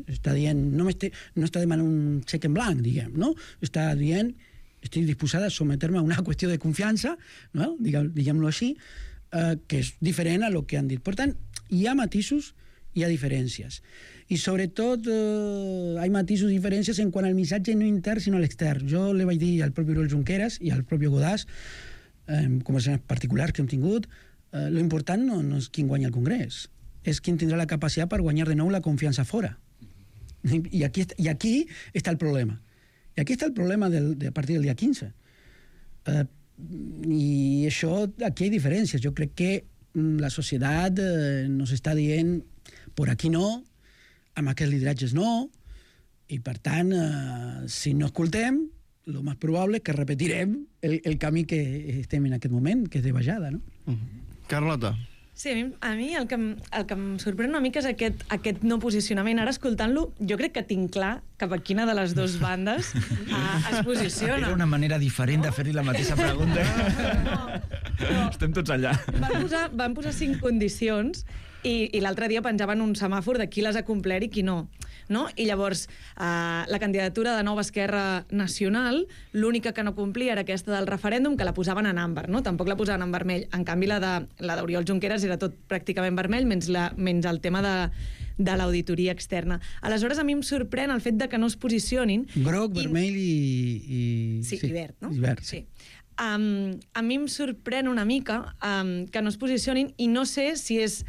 S8: Està dient, no està demanant un xec en blanc, diguem, no? Està dient, estic disposada a someter-me a una qüestió de confiança, no? Diguem-lo així, que és diferent a lo que han dit. Per tant, hi ha matisos, hi ha diferències. I sobretot hi ha matisos i diferències en quant al missatge no intern sinó a l'extern. Jo li vaig dir al propi Oriol Junqueras i al propi Godàs, conversacions particulars que hem tingut, lo important no és qui guanya el Congrés, és qui tindrà la capacitat per guanyar de nou la confiança fora. I aquí està el problema. I aquí està el problema a partir del dia 15. I això, aquí hi ha diferències. Jo crec que la societat nos està dient por aquí no, amb aquests lideratges no, i per tant, si no escoltem, el més probable és que repetirem el camí que estem en aquest moment, que és de baixada, no?
S2: Carlota.
S10: Sí, a mi el que em sorprèn una mica és aquest no posicionament. Ara, escoltant-lo, jo crec que tinc clar cap a quina de les dues bandes es posiciona.
S9: Era una manera diferent de fer-li la mateixa pregunta.
S10: No.
S9: Estem tots allà.
S10: Van posar 5 condicions i l'altre dia penjaven un semàfor de qui les ha complert i qui no. I llavors, la candidatura de Nova Esquerra Nacional, l'única que no complia era aquesta del referèndum, que la posaven en àmbar, no? Tampoc la posaven en vermell. En canvi, la d'Oriol Junqueras era tot pràcticament vermell, menys el tema de l'auditoria externa. Aleshores, a mi em sorprèn el fet de que no es posicionin...
S8: Groc, vermell i...
S10: Sí, i verd, no?
S8: I verd.
S10: Sí. A mi em sorprèn una mica que no es posicionin i no sé si és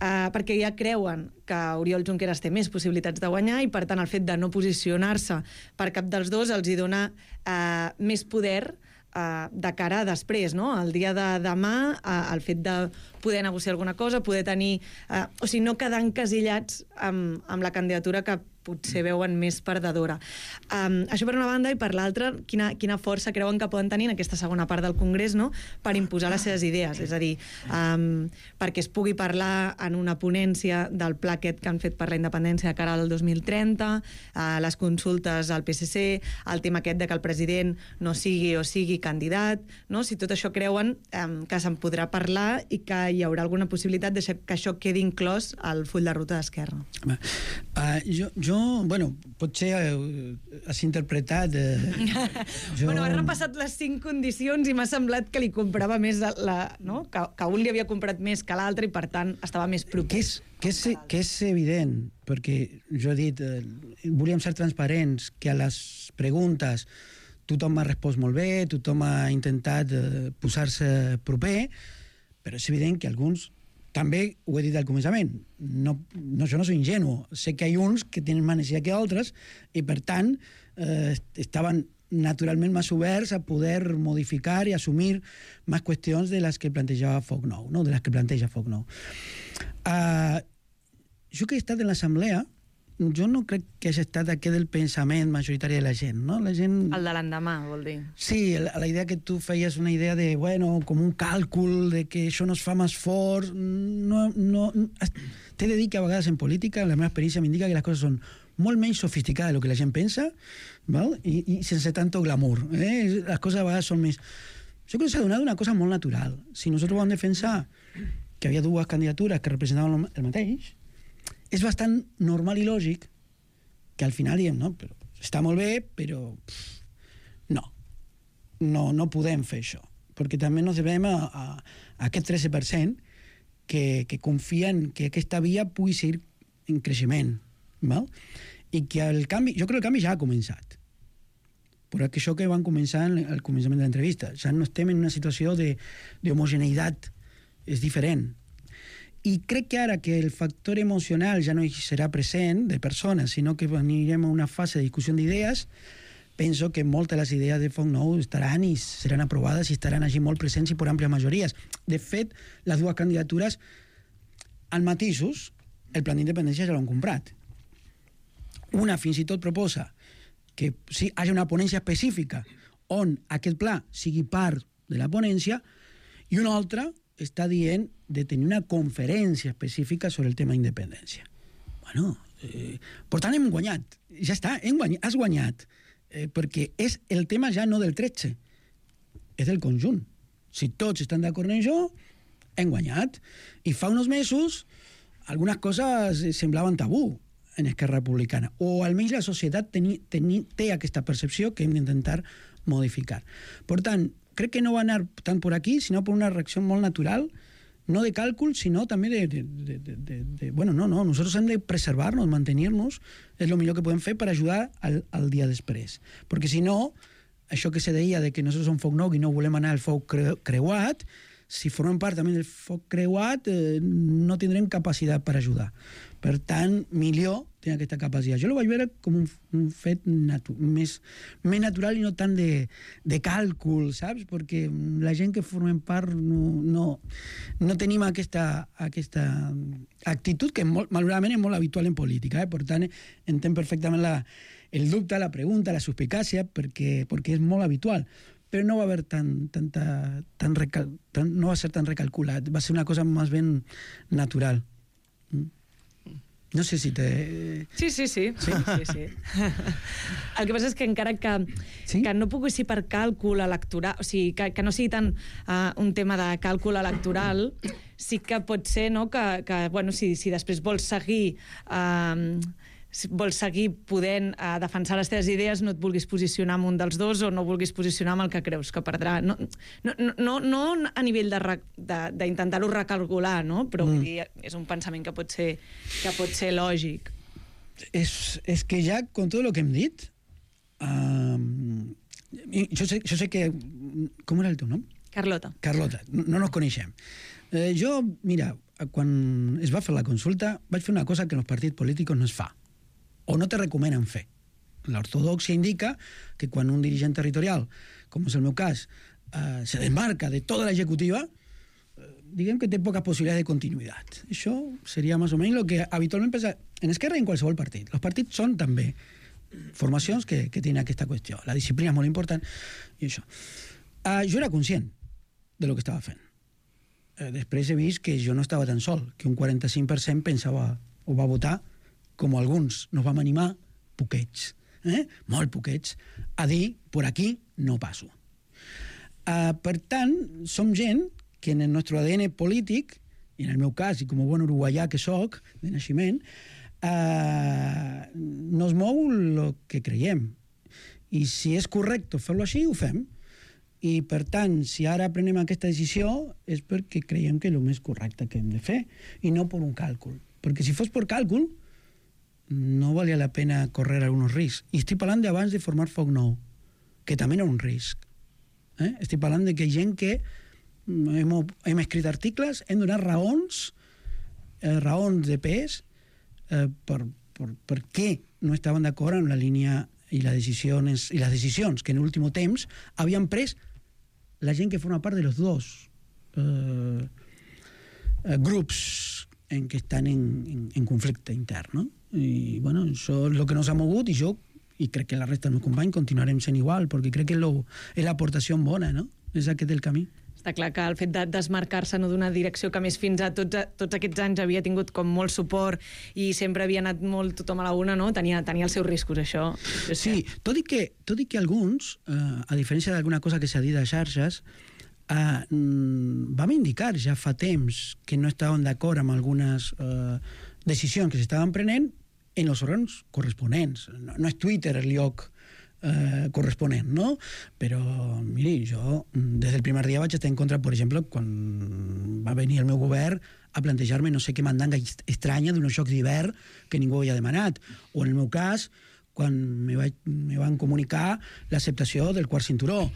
S10: perquè ja creuen que Oriol Junqueras té més possibilitats de guanyar i, per tant, el fet de no posicionar-se per cap dels dos els hi dona més poder de cara a després, no? El dia de demà, el fet de poder negociar alguna cosa, poder tenir... o sigui, no quedar encasillats amb la candidatura que potser veuen més perdedora. Això per una banda, i per l'altra, quina força creuen que poden tenir en aquesta segona part del Congrés, no?, per imposar les seves idees. És a dir, perquè es pugui parlar en una ponència del pla aquest que han fet per la independència de cara al 2030, les consultes al PSC, el tema aquest de que el president no sigui o sigui candidat, no? Si tot això creuen que se'n podrà parlar i que hi haurà alguna possibilitat de que això quedi inclòs al full de ruta d'Esquerra.
S8: Bueno, potser has interpretat...
S10: Bueno, has repassat les 5 condicions i m'ha semblat que li comprava més no? Que un li havia comprat més que l'altre i, per tant, estava més propers.
S8: Que és evident, perquè jo he dit, volíem ser transparents, que a les preguntes tothom m'ha respost molt bé, tothom ha intentat posar-se proper, però és evident que alguns... També ho he dit al començament, jo no soy ingenuo, sé que hi ha uns que tenen més energia que altres i, per tant, estaven naturalment més oberts a poder modificar i assumir més qüestions de les que plantejava Foc Nou, no? De les que planteja Foc Nou. Jo que he estat en l'assemblea, jo no crec que hagi estat aquest el pensament majoritari de la gent, no? La gent...
S10: El de l'endemà, vol dir.
S8: Sí, la idea que tu feies una idea de, bueno, com un càlcul, de que això no es fa més fort... T'he de dir que a vegades en política la meva experiència m'indica que les coses són molt menys sofisticades del que la gent pensa, val? I sense tanto glamour. Les coses a vegades són més... Jo crec que s'ha donat una cosa molt natural. Si nosaltres vam defensar que hi havia dues candidatures que representaven el mateix, és bastant normal i lògic que al final diem, no, però està molt bé, però no podem fer això, perquè també ens devem a aquest 13% que confien que aquesta via pugui seguir en creixement, val? I que el canvi, jo crec que el canvi ja ha començat, però això que van començar al començament de l'entrevista, ja no estem en una situació d'homogeneïtat, és diferent. I crec que ara que el factor emocional ja no serà present de persones, sinó que anirem a una fase de discussió d'idees, penso que moltes de les idees de Foc Nou estaran i seran aprovades i estaran així molt presents i per àmplies majories. De fet, les dues candidatures, amb matisos, el plan d'independència ja l'han comprat. Una fins i tot proposa que hi hagi una ponència específica on aquest pla sigui part de la ponència i una altra està dient de tenir una conferència específica sobre el tema d'independència. Bueno, per tant hem guanyat. Ja està, has guanyat. Perquè és el tema ja no del 13, és del conjunt. Si tots estan d'acord en això, hem guanyat. I fa uns mesos algunes coses semblaven tabú en Esquerra Republicana, o almenys la societat té aquesta percepció que hem d'intentar modificar. Per tant, crec que no va anar tant per aquí, sinó per una reacció molt natural, no de càlcul, sinó també bueno, no, nosaltres hem de preservar-nos, mantenir-nos, és el millor que podem fer per ajudar al dia després. Perquè si no, això que se deia de que nosaltres som foc nou i no volem anar al foc creuat, si formem part també del foc creuat, no tindrem capacitat per ajudar. Per tant, millor tenir aquesta capacitat. Jo ho vaig veure com un fet més natural i no tant de càlcul, saps? Perquè la gent que formem part no tenim aquesta actitud que malauradament és molt habitual en política. Per tant, entenc perfectament el dubte, la pregunta, la suspicàcia, perquè és molt habitual. Però no va haver no va ser tan recalculat, va ser una cosa més ben natural. No sé si te...
S10: Sí. El que passa és que encara que no pugui ser per càlcul electoral, o sigui, que no sigui tant un tema de càlcul electoral, sí que pot ser, no, que bueno, si després vols seguir podent defensar les teves idees, no et vulguis posicionar amb un dels dos o no vulguis posicionar amb el que creus que perdrà. No a nivell d'intentar-ho recalcular, no? Però és un pensament que pot ser lògic.
S8: És que ja, con tot el que hem dit, jo sé que... Com era el teu nom?
S10: Carlota.
S8: No nos coneixem. Jo, mira, quan es va fer la consulta, vaig fer una cosa que en els partits polítics no es fa, o no te recomenen fer. L'ortodoxia indica que quan un dirigent territorial, com és el meu cas, se desmarca de tota l'executiva, diguem que té poques possibilitats de continuïtat. Això seria més o menys el que habitualment passa en Esquerra i en qualsevol partit. Els partits són també formacions que tenen aquesta qüestió. La disciplina és molt important i això. Jo era conscient de lo que estava fent. Després he vist que jo no estava tan sol, que un 45% pensava o va votar, com alguns nos vam animar, poquets, molt poquets, a dir, por aquí no passo. Per tant, som gent que en el nostre ADN polític, i en el meu cas, i com a bon uruguaià que soc, de naixement, no es mou el que creiem. I si és correcte fer-lo així, ho fem. I, per tant, si ara prenem aquesta decisió és perquè creiem que és el més correcte que hem de fer, i no per un càlcul. Perquè si fos per càlcul, no valia la pena córrer alguns riscs. I estic parlant d'abans de formar Foc Nou, que també era un risc. Estic parlant de que gent que hem escrit articles, hem donat raons de pes per què no estaven d'acord amb la línia i les decisions que en l'últim temps havien pres la gent que forma part de los dos grups en què estan en conflicte intern, no? I, bueno, això és el que nos ha mogut i crec que la resta dels meus companys continuarem sent igual, perquè crec que és l'aportació bona, no? És aquest el camí.
S10: Està clar que el fet de desmarcar-se d'una direcció que més fins a tots aquests anys havia tingut com molt suport i sempre havia anat molt tothom a la una, no? Tenia els seus riscos, això.
S8: Sí, tot i que alguns, a diferència d'alguna cosa que s'ha dit a xarxes, vam indicar ja fa temps que no estaven d'acord amb algunes decisions que s'estaven prenent en els òrgans corresponents. No és Twitter el lloc corresponent, no? Però, miri, jo des del primer dia vaig estar en contra, per exemple, quan va venir el meu govern a plantejar-me no sé què mandanga estranya d'uns jocs d'hivern que ningú havia demanat. O en el meu cas, quan me van comunicar l'acceptació del quart cinturó,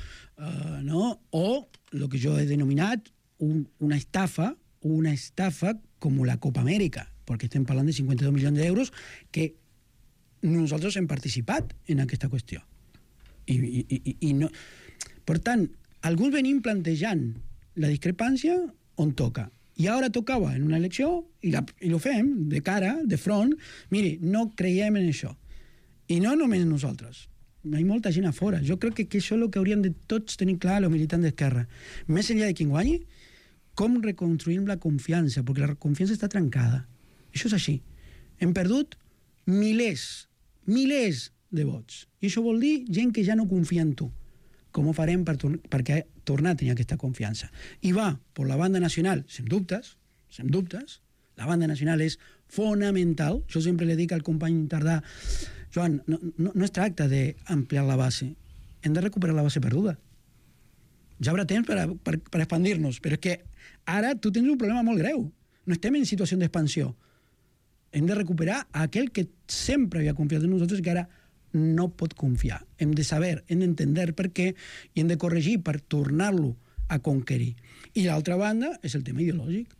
S8: no? O el que jo he denominat una estafa com la Copa Amèrica, perquè estem parlant de 52 milions d'euros que nosaltres hem participat en aquesta qüestió. I no... Per tant, alguns venim plantejant la discrepància on toca. I ara tocava en una elecció i ho fem de cara, de front. Miri, no creiem en això. I no només nosaltres. Hi ha molta gent a fora. Jo crec que això és el que hauríem de tots tenir clar els militants d'Esquerra. Més enllà de qui guanyi, com reconstruïm la confiança, perquè la confiança està trencada. Això és així. Hem perdut milers de vots. I això vol dir gent que ja no confia en tu. Com ho farem perquè tornar a tenir aquesta confiança? I va, per la banda nacional, sem dubtes, la banda nacional és fonamental. Jo sempre li dic al company Tardà, Joan, no es tracta d'ampliar la base, hem de recuperar la base perduda. Ja haurà temps per expandir-nos, però és que ara tu tens un problema molt greu. No estem en situació d'expansió. Hem de recuperar aquell que sempre havia confiat en nosaltres i que ara no pot confiar. Hem de saber, hem d'entendre per què i hem de corregir per tornar-lo a conquerir. I l'altra banda és el tema ideològic.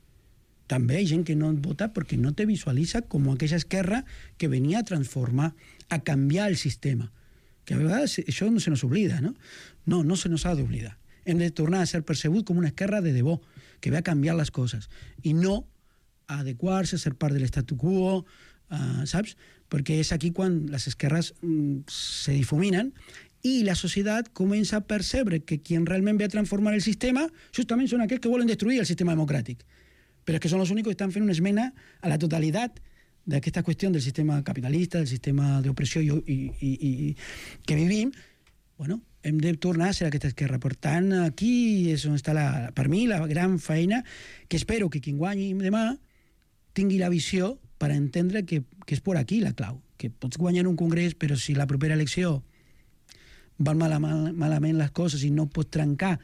S8: També hi ha gent que no vota perquè no te visualitza com aquella esquerra que venia a transformar, a canviar el sistema. Que a vegades això no se nos oblida, no? No se nos ha d'oblidar. Hem de tornar a ser percebut com una esquerra de debò, que ve a canviar les coses. I no a adequar-se, a ser part de l'estatu quo, saps? Perquè és aquí quan les esquerres se difuminen i la societat comença a percebre que qui realment ve a transformar el sistema justament són aquells que volen destruir el sistema democràtic. Però és que són els únics que estan fent una esmena a la totalitat d'aquesta qüestió del sistema capitalista, del sistema d'opressió i que vivim. Bueno, hem de tornar a ser aquesta esquerra. Per tant, aquí és on està, per mi, la gran feina, que espero que qui guanyi demà tingui la visió per entendre que és per aquí la clau. Que pots guanyar un congrés, però si la propera elecció van malament les coses i no pots trencar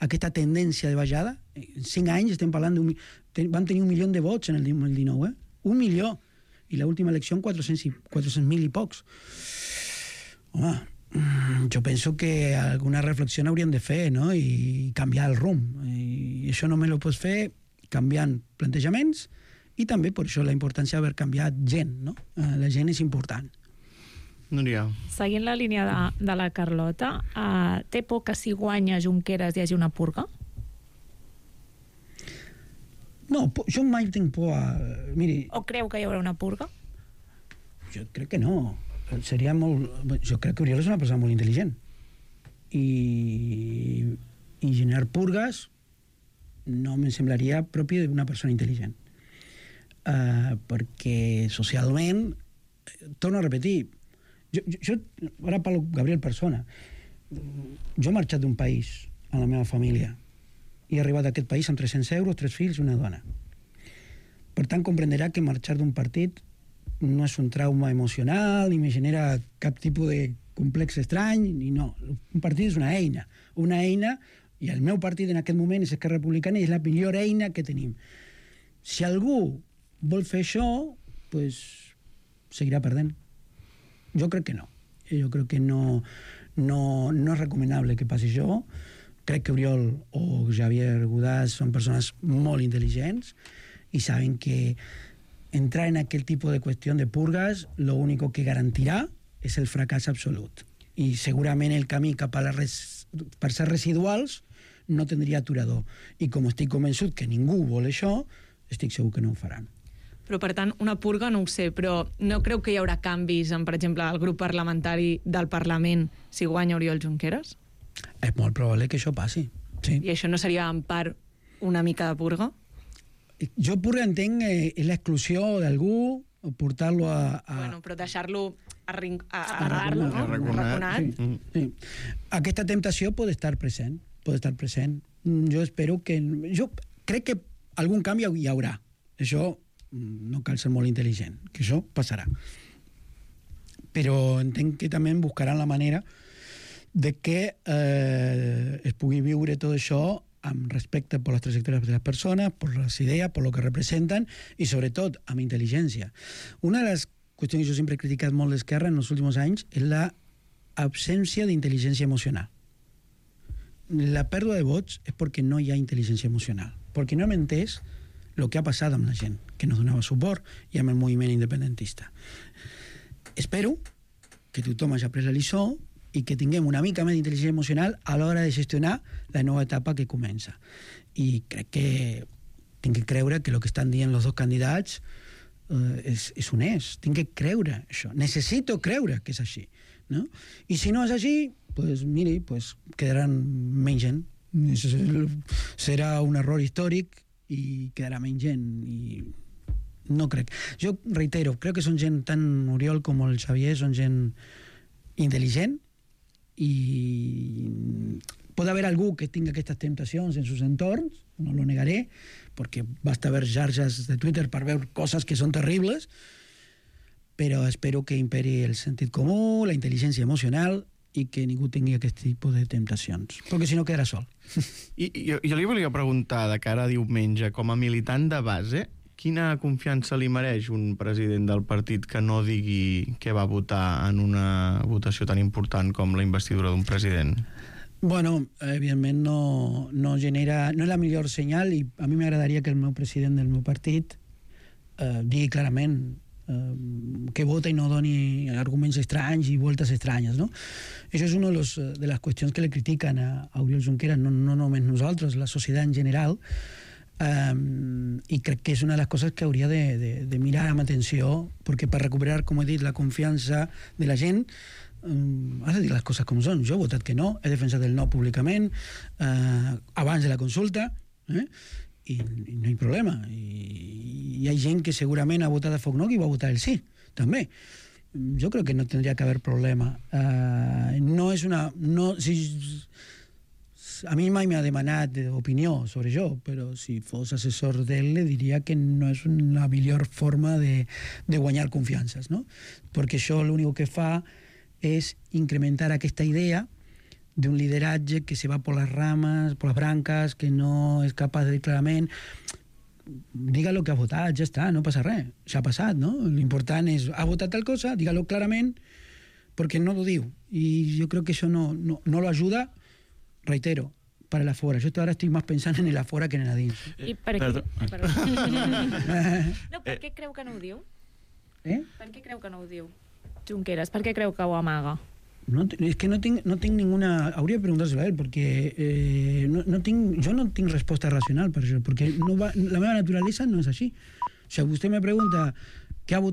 S8: aquesta tendència de baixada, en 5 anys estem parlant van tenir 1 milió de vots en el 19, 1 milió. I l'última elecció 400.000 i pocs. Home, jo penso que alguna reflexió hauríem de fer, no? I canviar el rumb. I això només ho pots fer canviant plantejaments, i també per això la importància d'haver canviat gent, no? La gent és important.
S2: Núria.
S7: Seguint la línia de la Carlota, té por que si guanya Junqueras hi hagi una purga?
S8: No, jo mai tinc por a... Miri,
S7: o creu que hi haurà una purga?
S8: Jo crec que no. Seria molt... Jo crec que Oriol és una persona molt intel·ligent. I generar purgues no em semblaria propi d'una persona intel·ligent. Perquè socialment, torno a repetir, jo ara parlo Gabriel persona, jo he marxat d'un país amb la meva família i he arribat a aquest país amb 300 euros, 3 fills i una dona. Per tant, comprenderà que marxar d'un partit no és un trauma emocional ni me genera cap tipus de complex estrany, ni no. Un partit és una eina, i el meu partit en aquest moment és Esquerra Republicana i és la millor eina que tenim. Si algú vol fer això, pues seguirà perdent. Jo crec que no. Jo crec que no és recomanable que passi això. Crec que Oriol o Javier Godàs són persones molt intel·ligents i saben que entrar en aquell tipus de qüestió de purgues lo único que garantirà és el fracàs absolut. I segurament el camí cap a per ser residuals no tindria aturador. I com estic convençut que ningú vol això, estic segur que no ho faran.
S10: Però, per tant, una purga no ho sé, però no creu que hi haurà canvis en, per exemple, el grup parlamentari del Parlament si guanya Oriol Junqueras?
S8: És molt probable que això passi, sí.
S10: I això no seria en part una mica de purga?
S8: Jo purga entenc l'exclusió d'algú, portar-lo a...
S10: Bueno, però deixar-lo arraconat.
S8: Sí. Aquesta temptació pot estar present. Jo espero que... Jo crec que algun canvi hi haurà. Això no cal ser molt intel·ligent, que això passarà. Però entenc que també buscaran la manera de que es pugui viure tot això amb respecte per les trajectòries de les persones, per les idees, per el que representen i, sobretot, amb intel·ligència. Una de les qüestions que jo sempre he criticat molt d'Esquerra en els últims anys és l'absència d'intel·ligència emocional. La pèrdua de vots és perquè no hi ha intel·ligència emocional, perquè no hem entès el que ha passat amb la gent que nos donava suport i amb el moviment independentista. Espero que tothom hagi après la lliçó i que tinguem una mica més d'intel·ligència emocional a l'hora de gestionar la nova etapa que comença. I crec que tinc que creure que el que estan dient els dos candidats és honest. Tinc que creure això. Necessito creure que és així. No? I si no és així, pues, miri, pues, quedaran menys gent. Serà un error històric i quedarà menys gent. I no crec. Jo reitero, crec que són gent, tant Oriol com el Xavier, són gent intel·ligent i pot haver algú que tingui aquestes temptacions en sus entorns, no lo negaré, perquè basta ver xarxes de Twitter per veure coses que són terribles, però espero que imperi el sentit comú, la intel·ligència emocional i que ningú tingui aquest tipus de temptacions, perquè si no quedarà sol.
S2: I jo li volia preguntar, de cara a diumenge, com a militant de base, quina confiança li mereix un president del partit que no digui què va votar en una votació tan important com la investidura d'un president?
S8: Bueno, evidentment no genera... No és la millor senyal i a mi m'agradaria que el meu president del meu partit digui clarament que vota i no doni arguments estranys i voltes estranyes, no? Això és una de les qüestions que le critiquen a Oriol Junqueras, no només nosaltres, la societat en general, i crec que és una de les coses que hauria de mirar amb atenció, perquè per recuperar, com he dit, la confiança de la gent has de dir les coses com són. Jo he votat que no, he defensat el no públicament abans de la consulta, i no hi ha problema. I hi ha gent que segurament ha votat a Foc Nou i va votar el sí, també. Jo crec que no tindria que haver problema. No és una... A mi mai m'ha demanat opinió sobre això, però si fos assessor d'ell le diria que no és la millor forma de guanyar confiances, no? Perquè això l'únic que fa és incrementar aquesta idea d'un lideratge que se va por las ramas, por las brancas, que no és capaç de dir clarament diga lo que ha votat, ja està, no passa res, ja ha passat, no? L'important és, ha votat tal cosa, diga-lo clarament, perquè no lo diu. I jo crec que això no lo ajuda, reitero, para el afuera. Yo ahora estoy más pensando en el afuera que en el adins.
S7: I per què? No, per què creu que no ho diu? Per què creu que no ho diu? Junqueras, per què creu que ho amaga?
S8: No, es que no tinc ninguna... Hauria de preguntar-se-lo a ell, perquè jo no tinc resposta racional per això, perquè la meva naturalesa no és així. O sigui, vostè me pregunta